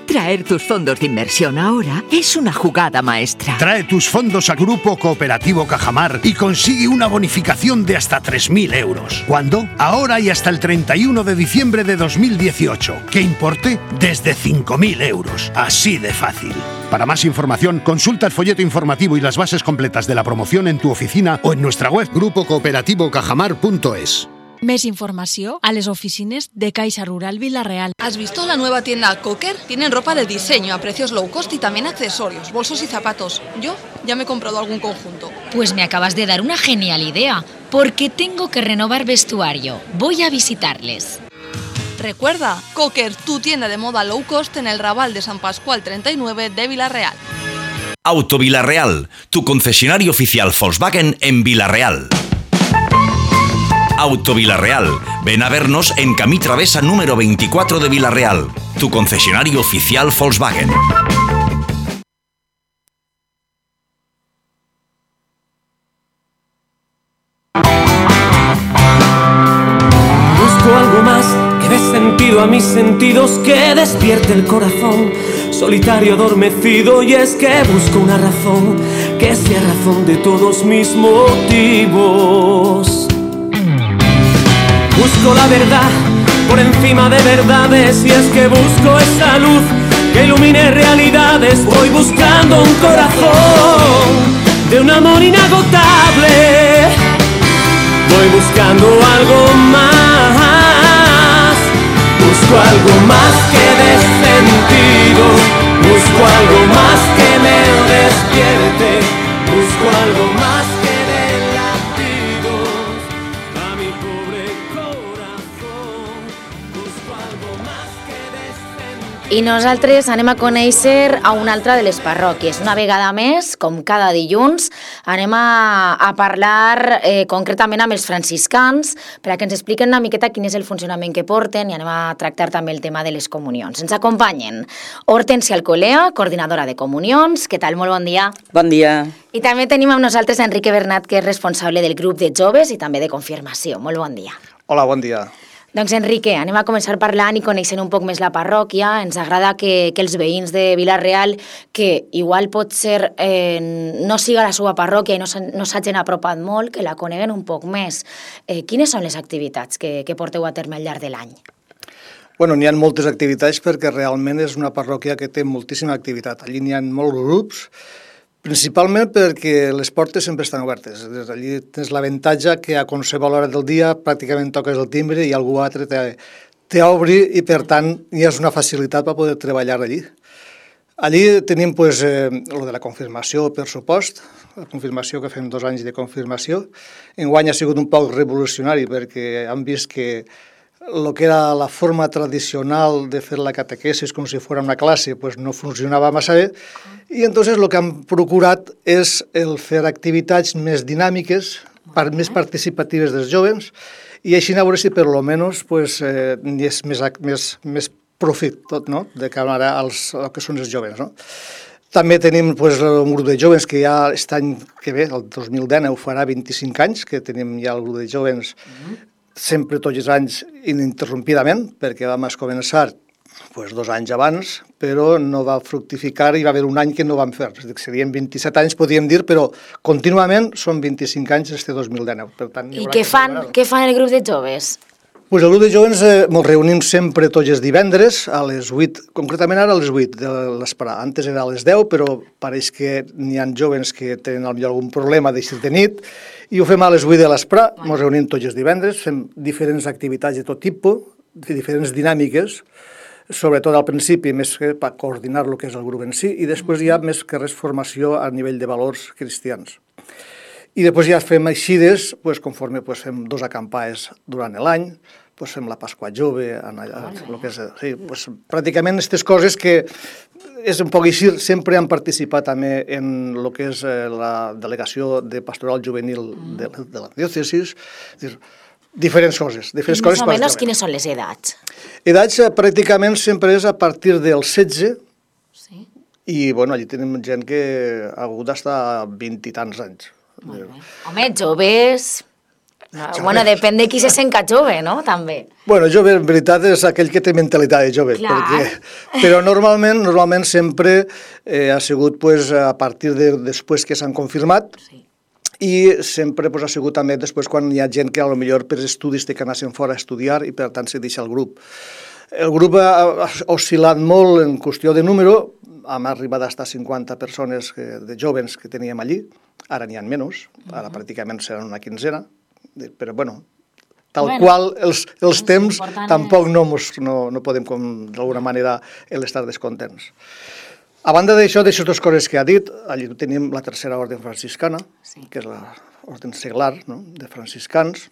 Traer tus fondos de inversión ahora es una jugada maestra. Trae tus fondos a Grupo Cooperativo Cajamar y consigue una bonificación de hasta 3.000 euros. ¿Cuándo? Ahora y hasta el 31 de diciembre de 2018. ¿Qué importe? Desde 5.000 euros. Así de fácil. Para más información, consulta el folleto informativo y las bases completas de la promoción en tu oficina o en nuestra web grupocooperativo-cajamar.es. Más información a las oficinas de Caixa Rural Vila-real. ¿Has visto la nueva tienda Cocker? Tienen ropa de diseño a precios low cost y también accesorios, bolsos y zapatos. Yo ya me he comprado algún conjunto. Pues me acabas de dar una genial idea, porque tengo que renovar vestuario. Voy a visitarles. Recuerda, Cocker, tu tienda de moda low cost en el Raval de San Pascual 39 de Vila-real. Auto Vila-real, tu concesionario oficial Volkswagen en Vila-real. Auto Vilareal. Ven a vernos en Camí Travesa número 24 de Vilareal, tu concesionario oficial Volkswagen. Busco algo más que dé sentido a mis sentidos, que despierte el corazón, solitario, adormecido, y es que busco una razón que sea razón de todos mis motivos. Busco la verdad por encima de verdades, y es que busco esa luz que ilumine realidades. Voy buscando un corazón de un amor inagotable, voy buscando algo más, busco algo más que dé sentido, busco algo más que me despierte, busco algo más que dé latidos a mi pobre corazón, busco algo más que dé sentido. I nosaltres anem a conèixer a una altra de les parròquies. Una vegada més, com cada dilluns, anem a parlar concretament amb els franciscans perquè ens expliquen una miqueta quin és el funcionament que porten, i anem a tractar també el tema de les comunions. Ens acompanyen Hortensia Alcolea, coordinadora de comunions. Què tal? Molt bon dia. Bon dia. I també tenim amb nosaltres Enrique Bernat, que és responsable del grup de joves i també de confirmació. Molt bon dia. Hola, bon dia. Doncs Enrique, anem a començar parlant i coneixent un poc més la parròquia. Ens agrada que els veïns de Vila-real, que igual pot ser no siga la seva parròquia i no s'hagin apropat molt, que la coneguen un poc més. Quines són les activitats que porteu a terme al llarg de l'any? Bueno, n'hi ha moltes activitats perquè realment és una parròquia que té moltíssima activitat. Allí n'hi ha molts grups, principalment perquè les portes sempre estan obertes. Allí tens l'avantatge que a qualsevol hora del dia pràcticament toques el timbre i algú altre t'obri, i per tant hi ha una facilitat per poder treballar allí. Allí tenim lo de la confirmació, per supost, la confirmació que fem 2 anys de confirmació. Enguany ha sigut un poc revolucionari perquè han vist que el que era la forma tradicional de fer la catequesis com si fos una classe no funcionava massa bé, i entonces el que han procurat és el fer activitats més dinàmiques, més participatives dels joves, i així a veure si per almenys n'hi és més profit tot, no?, de cara als que són els joves, no? També tenim un grup de joves que ja aquest any que ve, el 2019, farà 25 anys que tenim ja el grup de joves sempre tots els anys ininterrompidament, perquè vam començar 2 anys abans, però no va fructificar i va haver un any que no vam fer. Serien 27 anys, podríem dir, però contínuament són 25 anys este 2019. Per tant, I què fan el grup de joves? El grup de joves ens reunim sempre tots els divendres a les 8, concretament ara a les 8 de l'esprà. Antes era a les 10, però pareix que n'hi ha joves que tenen algun problema d'eixir de nit, i ho fem a les 8 de l'esprà. Ens reunim tots els divendres, fem diferents activitats de tot tipus, diferents dinàmiques, sobretot al principi més que per coordinar el que és el grup en si, i després hi ha més que res formació a nivell de valors cristians. I després ja fem eixides, conforme fem 2 acampades durant l'any, fem la Pasqua Jove, pràcticament aquestes coses que és un poc així, sempre han participat també en el que és la delegació de pastoral juvenil de la diòcesis, diferents coses. Més o menys quines són les edats? Edats pràcticament sempre és a partir dels 16, i allí tenim gent que ha hagut d'estar 20 i tants anys. Home, joves... Bueno, depèn de qui se sent jove, no? També. Bueno, jove, en veritat, és aquell que té mentalitat de jove. Però normalment sempre ha sigut a partir de després que s'han confirmat, i sempre ha sigut també després quan hi ha gent que potser per estudis té que anar fora a estudiar i per tant se deixa el grup. El grup ha oscil·lat molt en qüestió de número, hem arribat a estar 50 persones de joves que teníem allí, ara n'hi ha menys, ara pràcticament seran una quinzena, però tal qual els temps tampoc no podem d'alguna manera estar descontents. A banda d'això, d'aquestes 2 coses que ha dit, allí tenim la tercera orden franciscana, que és l'orden seglar de franciscans.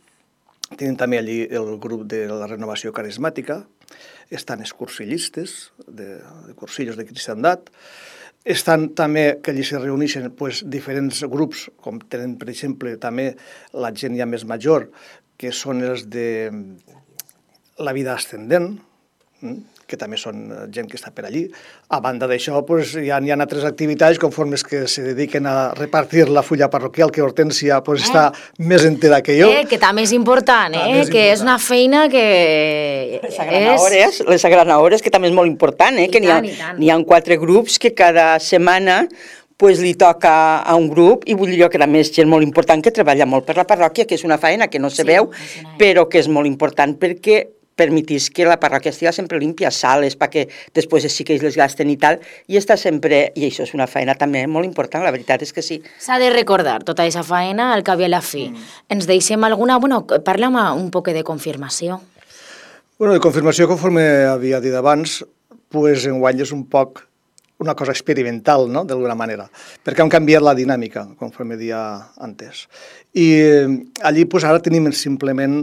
Tenim també allí el grup de la renovació carismàtica, estan els cursillistes, de cursillos de cristiandat. estan també, que allí se reuneixen diferents grups, com tenen, per exemple, també la gent ja més major, que són els de la vida ascendent, que també són gent que està per allí. A banda d'això, hi ha altres activitats, conforme que se dediquen a repartir la fulla parroquial, que Hortènsia està més entera que jo. Que també és important, que és una feina que... Les agranadores, que també és molt important, que n'hi ha 4 grups que cada setmana li toca a un grup, i vull dir que també és gent molt important que treballa molt per la parròquia, que és una feina que no se veu, però que és molt important perquè permetís que la parròquia estigui sempre límpia, sales, perquè després els xiquets les gasten i tal, i està sempre, i això és una feina també molt important, la veritat és que sí. S'ha de recordar tota aquesta feina al cap i a la fi. Ens deixem alguna... Bueno, parla'm un poc de confirmació. Bueno, de confirmació, conforme havia dit abans, enguany és un poc una cosa experimental, no?, d'alguna manera, perquè han canviat la dinàmica, conforme dia antes. I allí ara tenim simplement,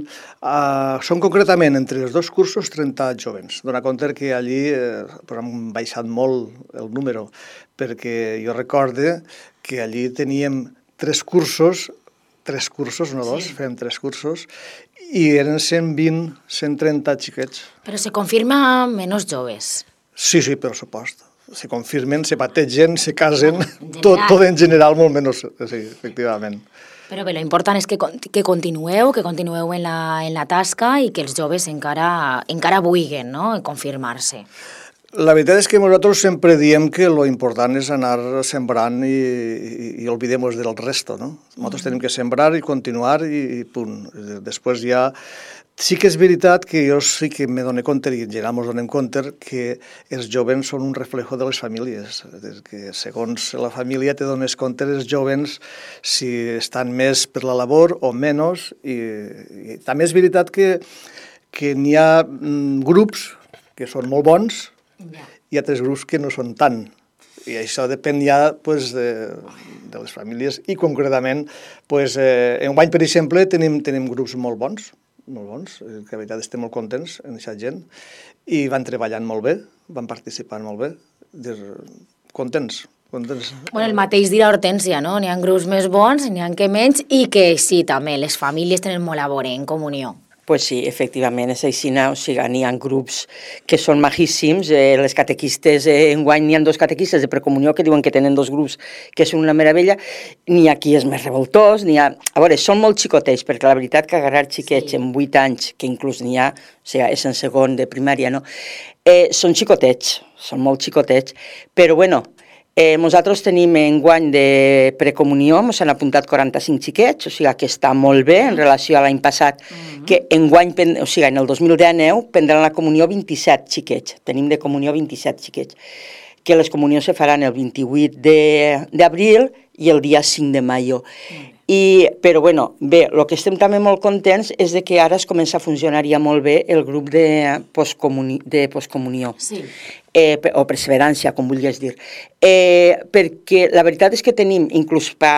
són concretament entre els 2 cursos 30 jovens. Dóna compte que allí han baixat molt el número, perquè jo recorde que allí teníem 3 cursos, no 2, fèiem 3 cursos, i eren 120, 130 xiquets. Però se confirma menys joves. Sí, per supost. Se confirmen, se bategen, se casen, tot en general molt menys, sí, efectivament. Però bé, l'important és que continueu en la tasca i que els joves encara vulguin, no?, confirmar-se. La veritat és que nosaltres sempre diem que lo important és anar sembrant i olvidemos del resto, no? Nosaltres tenim que sembrar i continuar i punt. Després ja... Sí que és veritat que jo sí que me dono compte, i en general ens donem compte, que els joves són un reflejo de les famílies. Que segons la família te dones compte els joves si estan més per la labor o menys. I també és veritat que n'hi ha grups que són molt bons i altres grups que no són tant. I això depèn ja de les famílies i concretament, enguany, per exemple, tenim grups molt bons, que a veritat estem molt contents en aquesta gent, i van treballant molt bé, van participant molt bé, contents. Bueno, el mateix dirà Hortènsia, no? N'hi ha grups més bons, n'hi ha que menys, i que sí, també, les famílies tenen molt a veure en comunió. Pues sí, efectivament, és així, o sigui, n'hi ha grups que són majíssims, les catequistes, enguany n'hi ha 2 catequistes de precomunió que diuen que tenen 2 grups que són una meravella, n'hi ha qui és més revoltós, n'hi ha... A veure, són molt xicotets, perquè la veritat que agarrar xiquets en 8 anys, que inclús n'hi ha, o sigui, és en segon de primària, no? Són xicotets, són molt xicotets, però bueno... Nosaltres tenim enguany de precomunió, ens han apuntat 45 xiquets, o sigui que està molt bé en relació a l'any passat, que enguany, o sigui, en el 2019 prendran la comunió 27 xiquets, tenim de comunió 27 xiquets, que les comunions se faran el 28 d'abril i el dia 5 de maio. Però bueno, bé, el que estem també molt contents és que ara es comença a funcionar ja molt bé el grup de postcomunió. Sí. O perseverància, com vulguis dir. Perquè la veritat és que tenim, inclús per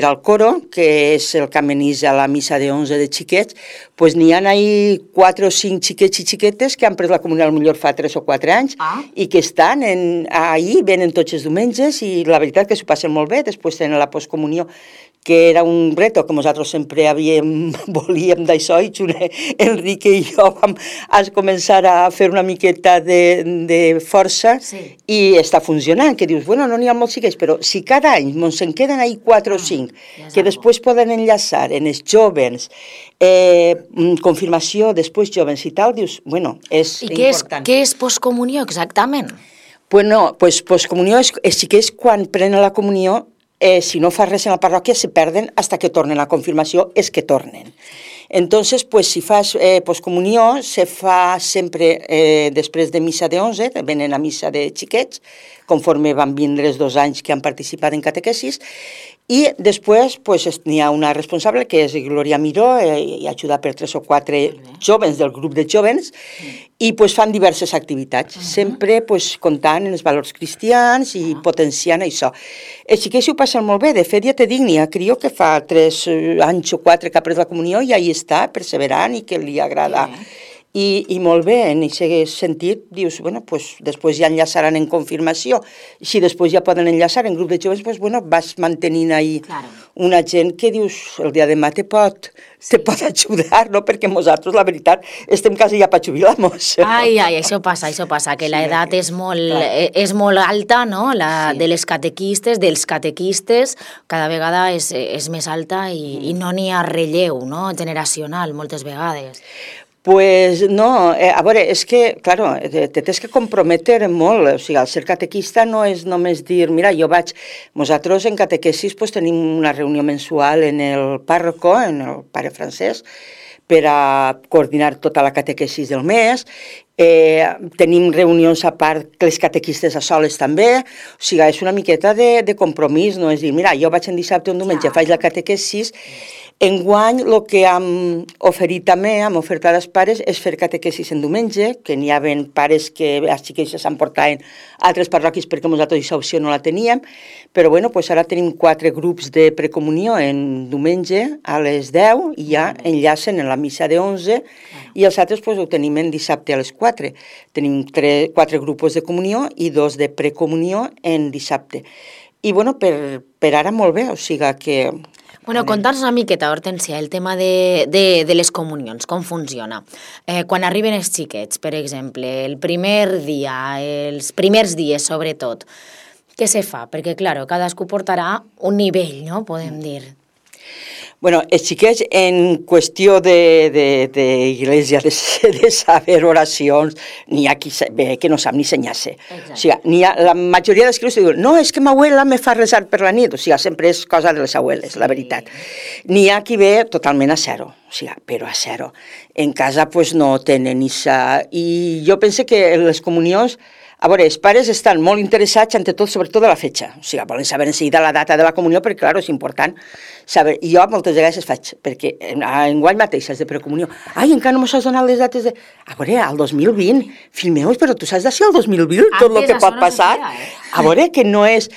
al coro, que és el que amenitza la missa de 11 de xiquets, doncs n'hi ha ahí 4 o 5 xiquets i xiquetes que han pres la comunió potser fa 3 o 4 anys i que estan ahí, venen tots els diumenges i la veritat que s'ho passen molt bé, després tenen la postcomunió, que era un reto que nosaltres sempre volíem d'això, i Enrique i jo vam començar a fer una miqueta de força i està funcionant, que dius, bueno, no n'hi ha molts xiquets, però si cada any ens en queden ahí 4 o 5, que després poden enllaçar en els jóvens, confirmació, després jóvens i tal, dius, bueno, és important. I què és postcomunió exactament? Bueno, pues postcomunió és xiquets quan prenen la comunió, si no fa res en la parròquia, se perden hasta que tornen a confirmació, és que tornen. Entonces, pues, si fas postcomunió, se fa sempre després de missa de 11, venen a missa de xiquets, conforme van vindre els 2 anys que han participat en catequesis, i després n'hi ha una responsable, que és Glòria Miró, i ajuda per 3 o 4 jóvens del grup de jóvens, i fan diverses activitats, sempre comptant en els valors cristians i potenciant això. Els xiquets ho passen molt bé, de fet ja te dic, n'hi ha crió que fa 3 anys o 4 que ha pres la comunió i ahí està, perseverant i que li agrada. I molt bé, en aquest sentit, dius, bueno, pues, després ja enllaçaran en confirmació. Si després ja poden enllaçar en grup de joves, pues, bueno, vas mantenint ahí una gent que dius, el dia de demà te pot ajudar, no? Perquè nosaltres, la veritat, estem quasi ja per jubilar-nos. Ai, això passa, que l'edat és molt alta, no? La de les catequistes, dels catequistes, cada vegada és més alta i no n'hi ha relleu, no? Generacional, moltes vegades. Pues no, a veure, és que, claro, te tens que comprometer molt, o sigui, el ser catequista no és només dir, mira, nosaltres en catequesis pues, tenim una reunió mensual en el pàrroco, en el pare Francesc, per a coordinar tota la catequesis del mes, tenim reunions a part les catequistes a soles també, o sigui, és una miqueta de compromís, no és dir, mira, jo vaig en dissabte o en diumenge, faig la catequesis. Enguany, el que hem oferit també, hem ofertat als pares, és fer catequesis en diumenge, que n'hi havia pares que els xiquets s'emportaven a altres parròquies perquè nosaltres aquesta opció no la teníem, però bueno, pues ara tenim 4 grups de precomunió en diumenge a les 10 i ja enllacen en la missa de 11 i els altres pues, ho tenim en dissabte a les 4. Tenim 4 grups de comunió i 2 de precomunió en dissabte. I bueno, per ara molt bé, o sigui que... Bueno, conta'ns una miqueta, Hortència, el tema de les comunions, com funciona. Quan arriben els xiquets, per exemple, el primer dia, els primers dies sobretot, què se fa? Perquè, clar, cadascú portarà un nivell, no?, podem dir. Bueno, els xiquets en qüestió d'iglesia, de saber oracions, n'hi ha qui que no sap ni senyar-se. O sigui, la majoria dels crios diuen, no, és que ma abuela me fa resar per la nit. O sigui, sempre és cosa de les abueles, la veritat. N'hi ha qui ve totalment a zero, o sigui, però a zero. En casa, pues, no tenen isa. I jo penso que les comunions, a veure, els pares estan molt interessats, ante tot, sobretot de la fetge. O sigui, volen saber en seguida la data de la comunió, perquè, clar, és important saber. I jo moltes vegades es faig, perquè enguany mateix, de precomunió, ai, encara no m'ho has donat les dates de... A veure, al 2020, fill meu, però tu saps de si al 2020 tot el que pot passar? A veure, que no és...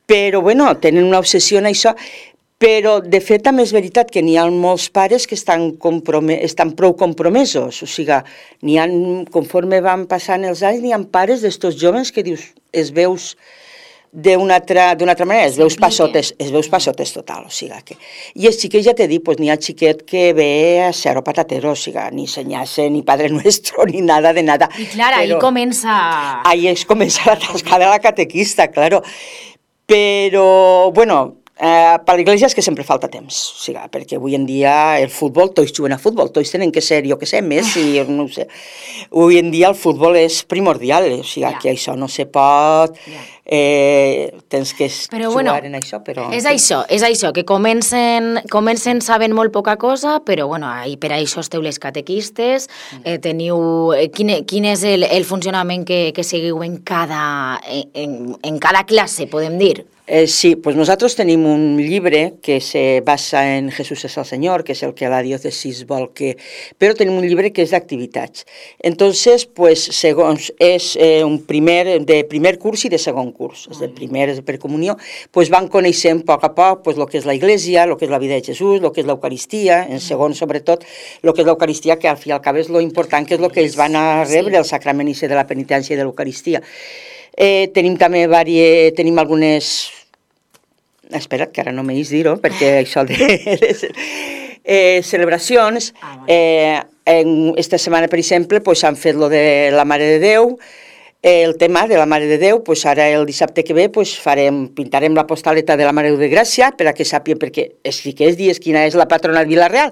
Però, bueno, tenen una obsessió en això... Però, de fet, també és veritat que n'hi ha molts pares que estan prou compromesos. O sigui, conforme van passant els anys, n'hi ha pares d'estos joves que dius, es veus d'una altra manera, es veus passotes total. O sigui, que... I els xiquets, ja t'he dit, n'hi ha xiquet que ve a zero patatero, o sigui, ni senyar-se, ni Padre Nuestro, ni nada de nada. I clar, ahí comença... Ahí comença la tasca de la catequista, claro. Però, bueno... Per l'Església és que sempre falta temps, o sigui, perquè avui en dia el futbol, tots juguen a futbol, tots tenen que ser, jo què sé, Messi, no ho sé. Avui en dia el futbol és primordial, o sigui, que això no se pot, tens que jugar en això, però... És això, que comencen sabent molt poca cosa, però bueno, per això esteu les catequistes, teniu... Quin és el funcionament que seguiu en cada classe, podem dir? Sí, pues nosaltres tenim un llibre que se basa en Jesús es el Señor, que és el que la diòcesis vol que... Però tenim un llibre que és d'activitats. Entonces, pues, segons és de primer curs i de segon curs. És de primer, és de precomunió. Pues van coneixent a poc, pues, el que és la Iglesia, el que és la vida de Jesús, el que és l'Eucaristia, en segon, sobretot, el que és l'Eucaristia, que al fi i al cap és lo important, que és el que ells van a rebre, el sacrament de la penitència i de l'Eucaristia. Tenim també algunes... Espera't, que ara no m'he dir-ho, perquè això de celebracions. Esta setmana, per exemple, han fet lo de la Mare de Déu, el tema de la Mare de Déu, ara el dissabte que ve pintarem la postaleta de la Mare de Gràcia, per a que sàpien, perquè sí que és dies quina és la patrona de Vila-real.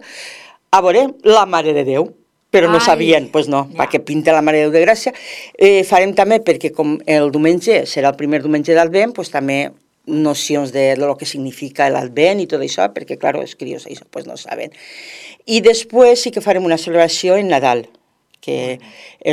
A veure, la Mare de Déu. Però no sabien, doncs no, perquè pinta la Mare de Déu de Gràcia. Farem també, perquè com el diumenge serà el primer diumenge d'Advent, doncs també nocions de lo que significa l'Advent i tot això, perquè, clar, els crios això pues no saben. I després sí que farem una celebració en Nadal, que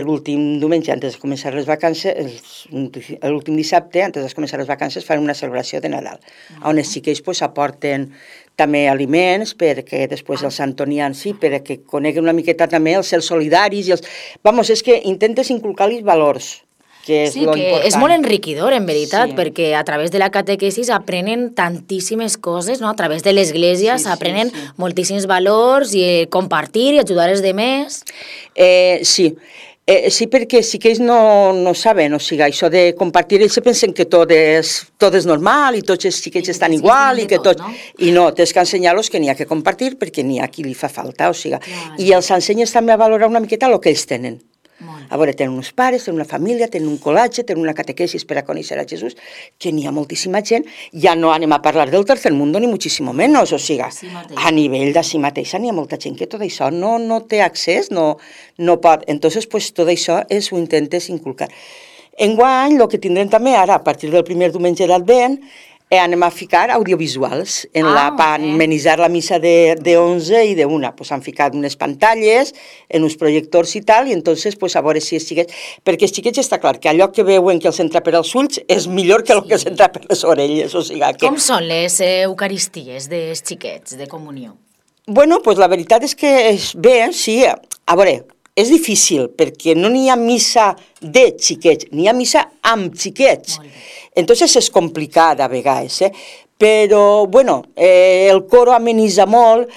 l'últim diumenge, antes de començar les vacances, l'últim dissabte, antes de començar les vacances, farem una celebració de Nadal, on els xiquets aporten també aliments, perquè després els antonians, sí, perquè coneguen una miqueta també els ser solidaris. Vamos, és que intentes inculcar-los valors, que és lo important. És molt enriquidor, en veritat, perquè a través de la catequesis aprenen tantíssimes coses, no? A través de l'església s'aprenen moltíssims valors i compartir i ajudar els demés. Sí, perquè sí que ells no saben, o sigui, això de compartir, ells se pensen que tot és normal i tots els xiquets estan igual i que tot... I no, tens que ensenyar-los que n'hi ha que compartir perquè n'hi ha qui li fa falta, o sigui, i els ensenyes també a valorar una miqueta el que ells tenen. A veure, tenen uns pares, tenen una família, tenen un col·latge, tenen una catequesis per a conèixer a Jesús, que n'hi ha moltíssima gent, ja no anem a parlar del tercer mundo ni muchísimo menos, o sigui, a nivell de si mateixa n'hi ha molta gent que tot això no té accés, no pot, entonces pues tot això ho intentes inculcar. Enguany, el que tindrem també ara, a partir del primer diumenge d'Advent, anem a ficar audiovisuals per amenitzar la missa de 11 i de 1. Pues han ficat unes pantalles, en uns projectors i tal, i entonces pues a veure si els xiquets... Perquè els xiquets està clar que allò que veuen que els entra per als ulls és millor que el que els entra per les orelles, o sigui que... Com són les eucaristies dels xiquets de comunió? Bueno, pues la veritat és que és bé, sí. A veure, és difícil, perquè no n'hi ha missa de xiquets, n'hi ha missa amb xiquets. Entonces és complicat a vegades, però, bueno, el coro amenitza molt,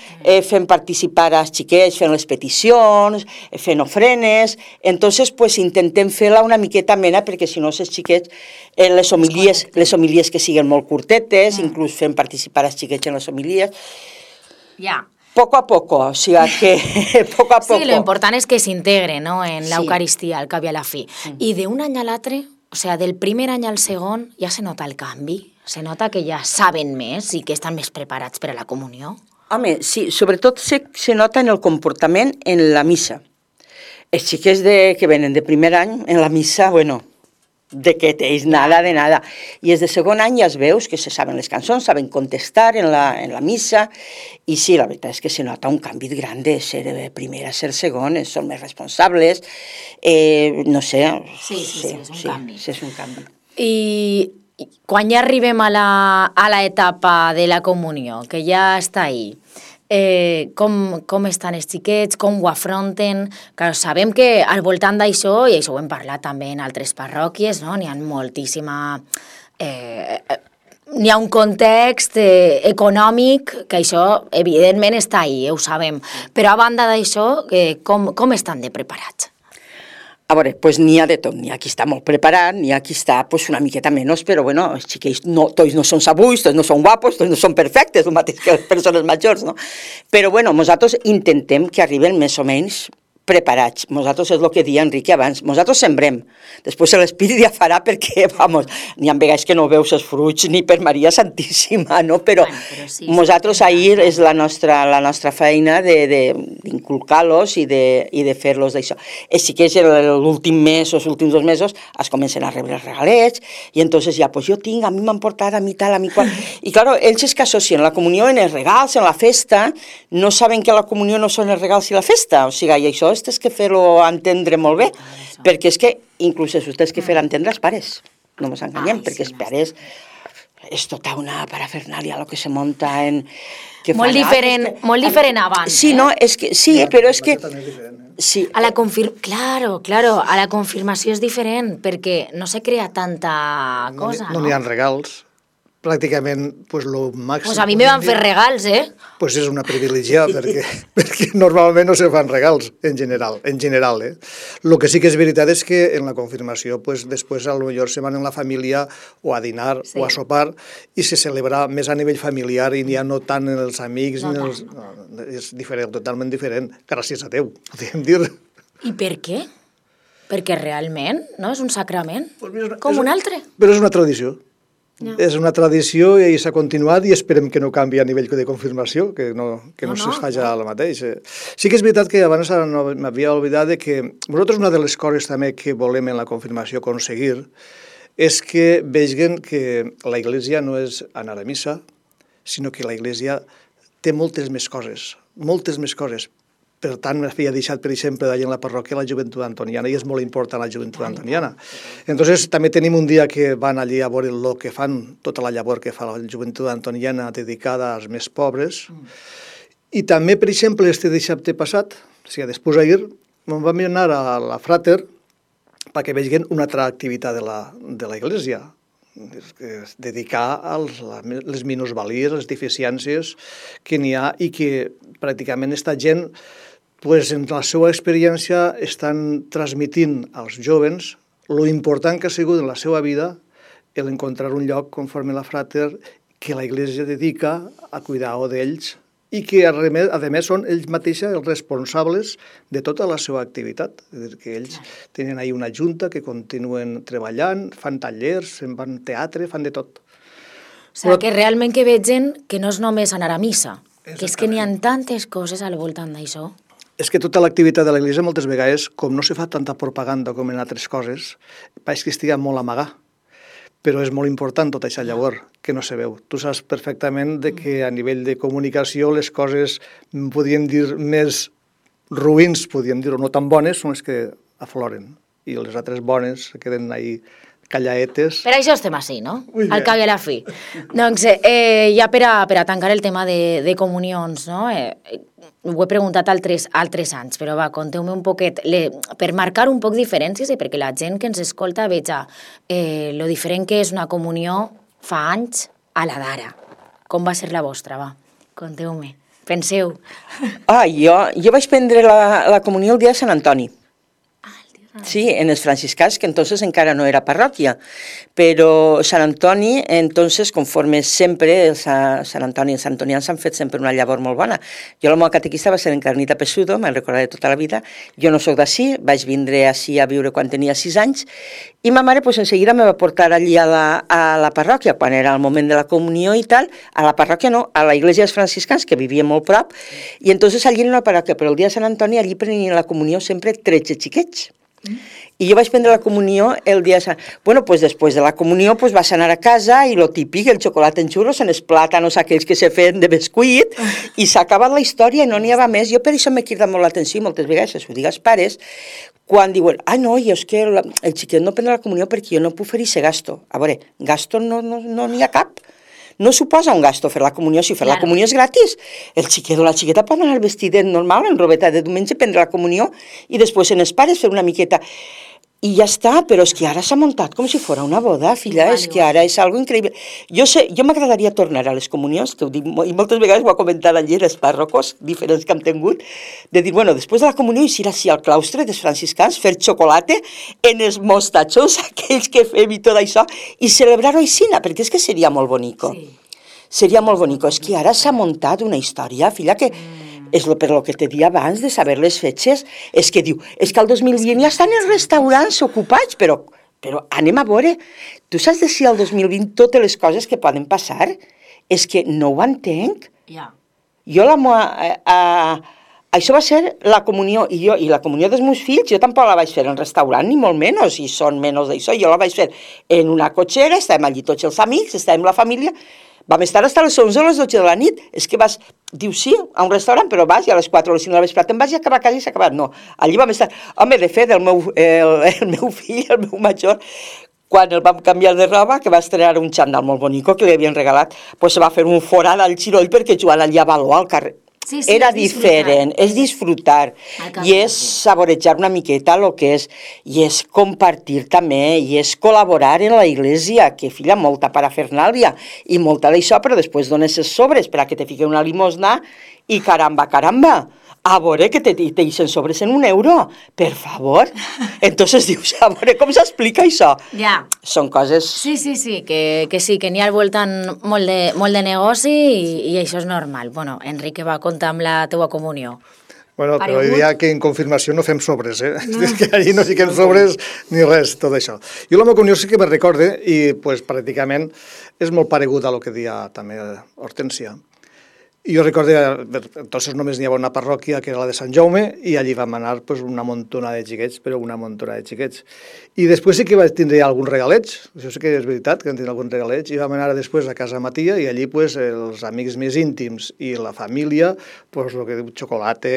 fent participar als xiquets, fent les peticions, fent ofrenes, entonces pues intentem fer-la una miqueta amena, perquè si no els xiquets, les homilies que siguin molt curtetes, inclús fent participar als xiquets en les homilies. Ja. Poco a poco, o sigui que poco a poco. Sí, lo important és que s'integre, no?, en l'Eucaristia, al cap i a la fi. I d'un any a l'altre, o sigui, del primer any al segon, ja se nota el canvi? Se nota que ja saben més i que estan més preparats per a la comunió? Home, sí, sobretot se nota en el comportament en la missa. Els xiquets que venen de primer any, en la missa, bueno, de que tens nada de nada. I els de segon any ja es veus que se saben les cançons, saben contestar en la missa, i sí, la veritat és que se nota un canvi gran de ser primer a ser segon, són més responsables, no sé. Sí, és un canvi. Sí, és un canvi. I quan ja arribem a la etapa de la comunió, que ja està ahí, com estan els xiquets, com ho afronten? Clar, sabem que al voltant d'això, i això ho hem parlat també en altres parròquies, no? N'hi ha moltíssima... N'hi ha un context econòmic que això evidentment està ahí, ho sabem, però a banda d'això, com estan de preparats? A veure, doncs n'hi ha de tot, n'hi ha qui està molt preparat, n'hi ha qui està una miqueta menys, però bueno, els xiquets tots no són sabuis, tots no són guapos, tots no són perfectes, el mateix que les persones majors, no? Però bueno, nosaltres intentem que arriben més o menys preparats. Nosaltres és el que deia Enrique abans, nosaltres sembrem, després l'Espírit ja farà perquè, vamos, n'hi ha vegades que no veus els fruits ni per Maria Santíssima, no? Però nosaltres ahir és la nostra feina d'inculcar-los i de fer-los d'això. Sí que és l'últim mes o els últims 2 mesos es comencen a rebre els regalets i entonces ja, pues jo tinc, a mi m'han portat, a mi tal, a mi qual... I claro, ells és que associen la comunió en els regals, en la festa, no saben que la comunió no són els regals i la festa, o sigui, i això tens que fer-ho entendre molt bé, perquè és que inclús això tens que fer entendre als pares, no ens enganyem, perquè els pares és tota una parafernàlia el que se munta en... Molt diferent abans. Sí, no, és que, sí, però és que... Sí. Claro, a la confirmació és diferent, perquè no se crea tanta cosa, no? No n'hi ha regals. Pràcticament, pues, lo màxim... Pues a mi me van fer regals, Pues és una privilegiada, perquè normalment no se fan regals, en general, Lo que sí que és veritat és que en la confirmació, pues, després a lo millor se van en la família o a dinar o a sopar i se celebra més a nivell familiar i ja no tant en els amics, és diferent, totalment diferent, gràcies a Déu, podríem dir. I per què? Perquè realment, no? És un sacrament, com un altre. Però és una tradició. No. És una tradició i s'ha continuat i esperem que no canvi a nivell de confirmació, que no se faci el mateix. Sí que és veritat que abans m'havia oblidat que nosaltres una de les coses també que volem en la confirmació aconseguir és que vegin que la Iglesia no és anar a missa, sinó que la Iglesia té moltes més coses. Per tant, m'havia deixat, per exemple, d'allà en la parròquia la joventut antoniana, i és molt important la joventut antoniana. Entonces, també tenim un dia que van allí a veure el que fan, tota la llavor que fa la joventut antoniana dedicada als més pobres. I també, per exemple, este dissabte passat, o sigui, després d'ahir, vam anar a la Frater perquè vegin una altra activitat de la Iglesia, dedicar a les minusvalies, les deficiències que n'hi ha i que pràcticament esta gent, en la seva experiència, estan transmitint als jovens lo important que ha sigut en la seva vida l'encontrar un lloc conforme la Frater que la Iglesia dedica a cuidar d'ells i que, a més, són ells mateixos els responsables de tota la seva activitat. És a dir, que ells tenen ahí una junta que continuen treballant, fan tallers, fan teatre, fan de tot. O sigui, que realment que vegin que no és només anar a missa, que és que n'hi ha tantes coses al voltant d'això. És que tota l'activitat de l'Església moltes vegades, com no se fa tanta propaganda com en altres coses, pareix que estigui molt amagar. Però és molt important tot això llavors, que no se veu. Tu saps perfectament que a nivell de comunicació les coses, podríem dir, més ruïns, podríem dir, o no tan bones, són les que afloren. I les altres bones se queden ahí callaetes. Per això estem així, no? Al cap i a la fi. Doncs ja per a tancar el tema de comunions, no? Ho he preguntat altres anys, però va, conteu-me un poquet, per marcar un poc diferències i perquè la gent que ens escolta veja lo diferent que és una comunió fa anys a la d'ara. Com va ser la vostra, va? Conteu-me. Penseu. Jo vaig prendre la comunió el dia de Sant Antoni. Sí, en els franciscans, que entonces encara no era parròquia, però Sant Antoni, entonces, conforme sempre, Sant Antoni i els santonians han fet sempre una llavor molt bona. Jo la meva catequista va ser Encarnita Pesudo, me'n recordaré tota la vida. Jo no soc d'ací, vaig vindre ací a viure quan tenia 6 anys, i ma mare en seguida me va portar allí a la parròquia, quan era el moment de la comunió i tal, a la parròquia no, a la iglesia dels franciscans, que vivia molt prop, i entonces allí en la parròquia, però el dia de Sant Antoni, allí prenien la comunió sempre 13 xiquets. I jo vaig prendre la comunió el dia de Sant... Bueno, pues després de la comunió pues vas anar a casa i lo típic, el xocolata en xurros, en els plàtanos aquells que se feien de bescuit, i s'ha acabat la història i no n'hi ha més. Jo per això m'he cridat molt l'atenció, moltes vegades, s'ho dic als pares, quan diuen, no, i és que el xiquet no prendrà la comunió perquè jo no puc fer ese gasto. A veure, gasto no n'hi ha cap. No suposa un gasto fer la comunió, si fer la comunió és gratis. El xiquet o la xiqueta poden anar vestidet normal, en robeta de diumenge, prendre la comunió i després en els pares fer una miqueta. I ja està, però és que ara s'ha muntat com si fos una boda, filla, és que ara és algo increïble. Jo m'agradaria tornar a les comunions, que ho dic, i moltes vegades ho ha comentat allí els pàrrocos diferents que hem tingut, de dir, bueno, després de la comunió ir així al claustre dels franciscans, fer xocolata en els mostatxos, aquells que fem i tot això, i celebrar-ho així, perquè és que seria molt bonico. Sí. Seria molt bonico. És que ara s'ha muntat una història, filla, que és per lo que te dia abans de saber les fetges, és que diu, és que el 2020 ja estan els restaurants ocupats, però anem a veure, tu saps de si el 2020 totes les coses que poden passar? És que no ho entenc. Jo això va ser la comunió, i la comunió dels meus fills, jo tampoc la vaig fer en restaurant, ni molt menys, i són menys d'això, jo la vaig fer en una cotxera, estàvem allí tots els amics, estàvem la família, vam estar fins a les 11 o les 12 de la nit, és que vas, diu sí, a un restaurant, però vas i a les 4 o les 5 de la vesprada te'n vas i acabar a casa i s'ha acabat. No, allí vam estar, home, de fet, el meu fill, el meu major, quan el vam canviar de roba, que va estrenar un xandall molt bonico que li havien regalat, pues se va fer un forat al xiroll perquè jugant allà a baló al carrer. Sí, era diferent, és disfrutar i és saborejar una miqueta el que és, i és compartir també, i és col·laborar en la iglesia, que filla, molta parafernàlia i molta d'això, però després dones els sobres per a que te fiquen una limosna i caramba, a veure que te deixen sobres en €1, per favor. Entonces dius, a veure com s'explica això. Ja. Són coses... Sí, que n'hi ha al voltant molt de negoci i això és normal. Bueno, Enrique va comptar amb la teua comunió. Bueno, però diria que en confirmació no fem sobres, És que allí no fiquem sobres ni res, tot això. Jo la meva comunió sí que me recorde i pues, pràcticament és molt paregut a lo que deia també Hortènsia. I jo recordo, entonces només n'hi havia una parròquia que era la de Sant Jaume i allí vam anar pues, una montona de xiquets, però una montona de xiquets. I després sí que vaig tindre algun regalet, això sí que és veritat, que vam tindre algun regalet, i vam anar després a casa Matia i allí pues, els amics més íntims i la família, pues, el que diu xocolata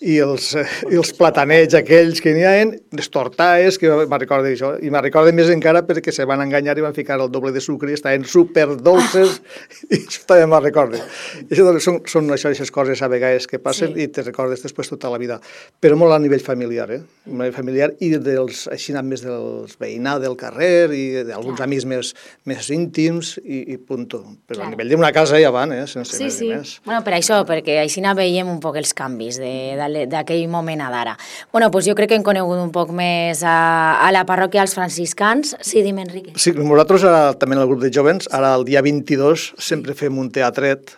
i els platanets aquells que n'hi ha, les tortaes, que me'n recordo d'això, i me'n recordo més encara perquè se van enganyar i van ficar el doble de sucre i estaven superdolces, i això també me'n recordo. I això són aquestes coses a vegades que passen i te recordes després tota la vida, però molt a nivell familiar, a nivell familiar i així més dels veïnats del carrer i d'alguns amics més íntims i punto. Però a nivell d'una casa ja van, sense més i més. Bueno, per això, perquè així veiem un poc els canvis d'aquell moment a d'ara. Bueno, doncs jo crec que hem conegut un poc més a la parròquia dels franciscans. Sí, dime, Enrique. Sí, nosaltres també en el grup de jovens, ara el dia 22 sempre fem un teatret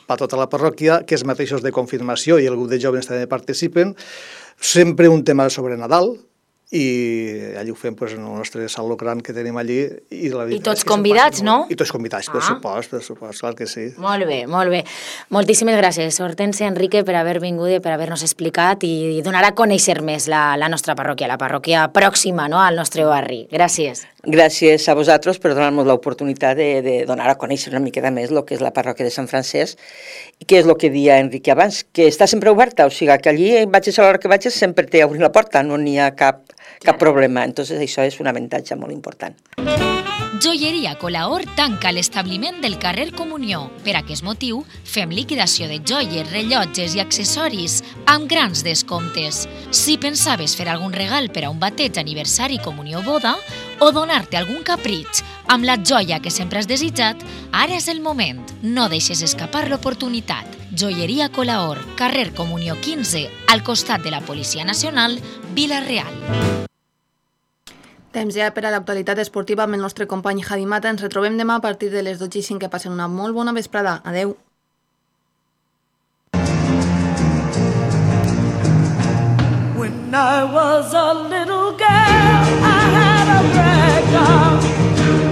per tota la parròquia, que els mateixos de confirmació i el grup de jovens també participen, sempre un tema sobre Nadal, i allí ho fem en el nostre saló gran que tenim allí. I tots convidats, no? I tots convidats, per supost, clar que sí. Molt bé, molt bé. Moltíssimes gràcies, Hortensia, Enrique, per haver vingut i per haver-nos explicat i donar a conèixer més la nostra parròquia, la parròquia pròxima al nostre barri. Gràcies. Gràcies a vosaltres per donar-nos l'oportunitat de donar a conèixer una miqueta més el que és la parròquia de Sant Francesc i què és el que deia Enrique abans, que està sempre oberta, o sigui que allí vagis a l'hora que vagis sempre té obrir la porta, no n'hi ha cap problema. Entonces això és un avantatge molt important. Joieria Colaor tanca l'establiment del carrer Comunió. Per aquest motiu, fem liquidació de joies, rellotges i accessoris amb grans descomptes. Si pensaves fer algun regal per a un bateig, aniversari, comunió o boda, o donar-te algun capritx amb la joia que sempre has desitjat, ara és el moment. No deixes escapar l'oportunitat. Joieria Colaor, carrer Comunió 15, al costat de la Policia Nacional, Vila-real. Temps ja per a l'actualitat esportiva amb el nostre company Javi Mata. Ens retrobem demà a partir de les 12:05. Que passen una molt bona vesprada. Adeu. When I was a little girl,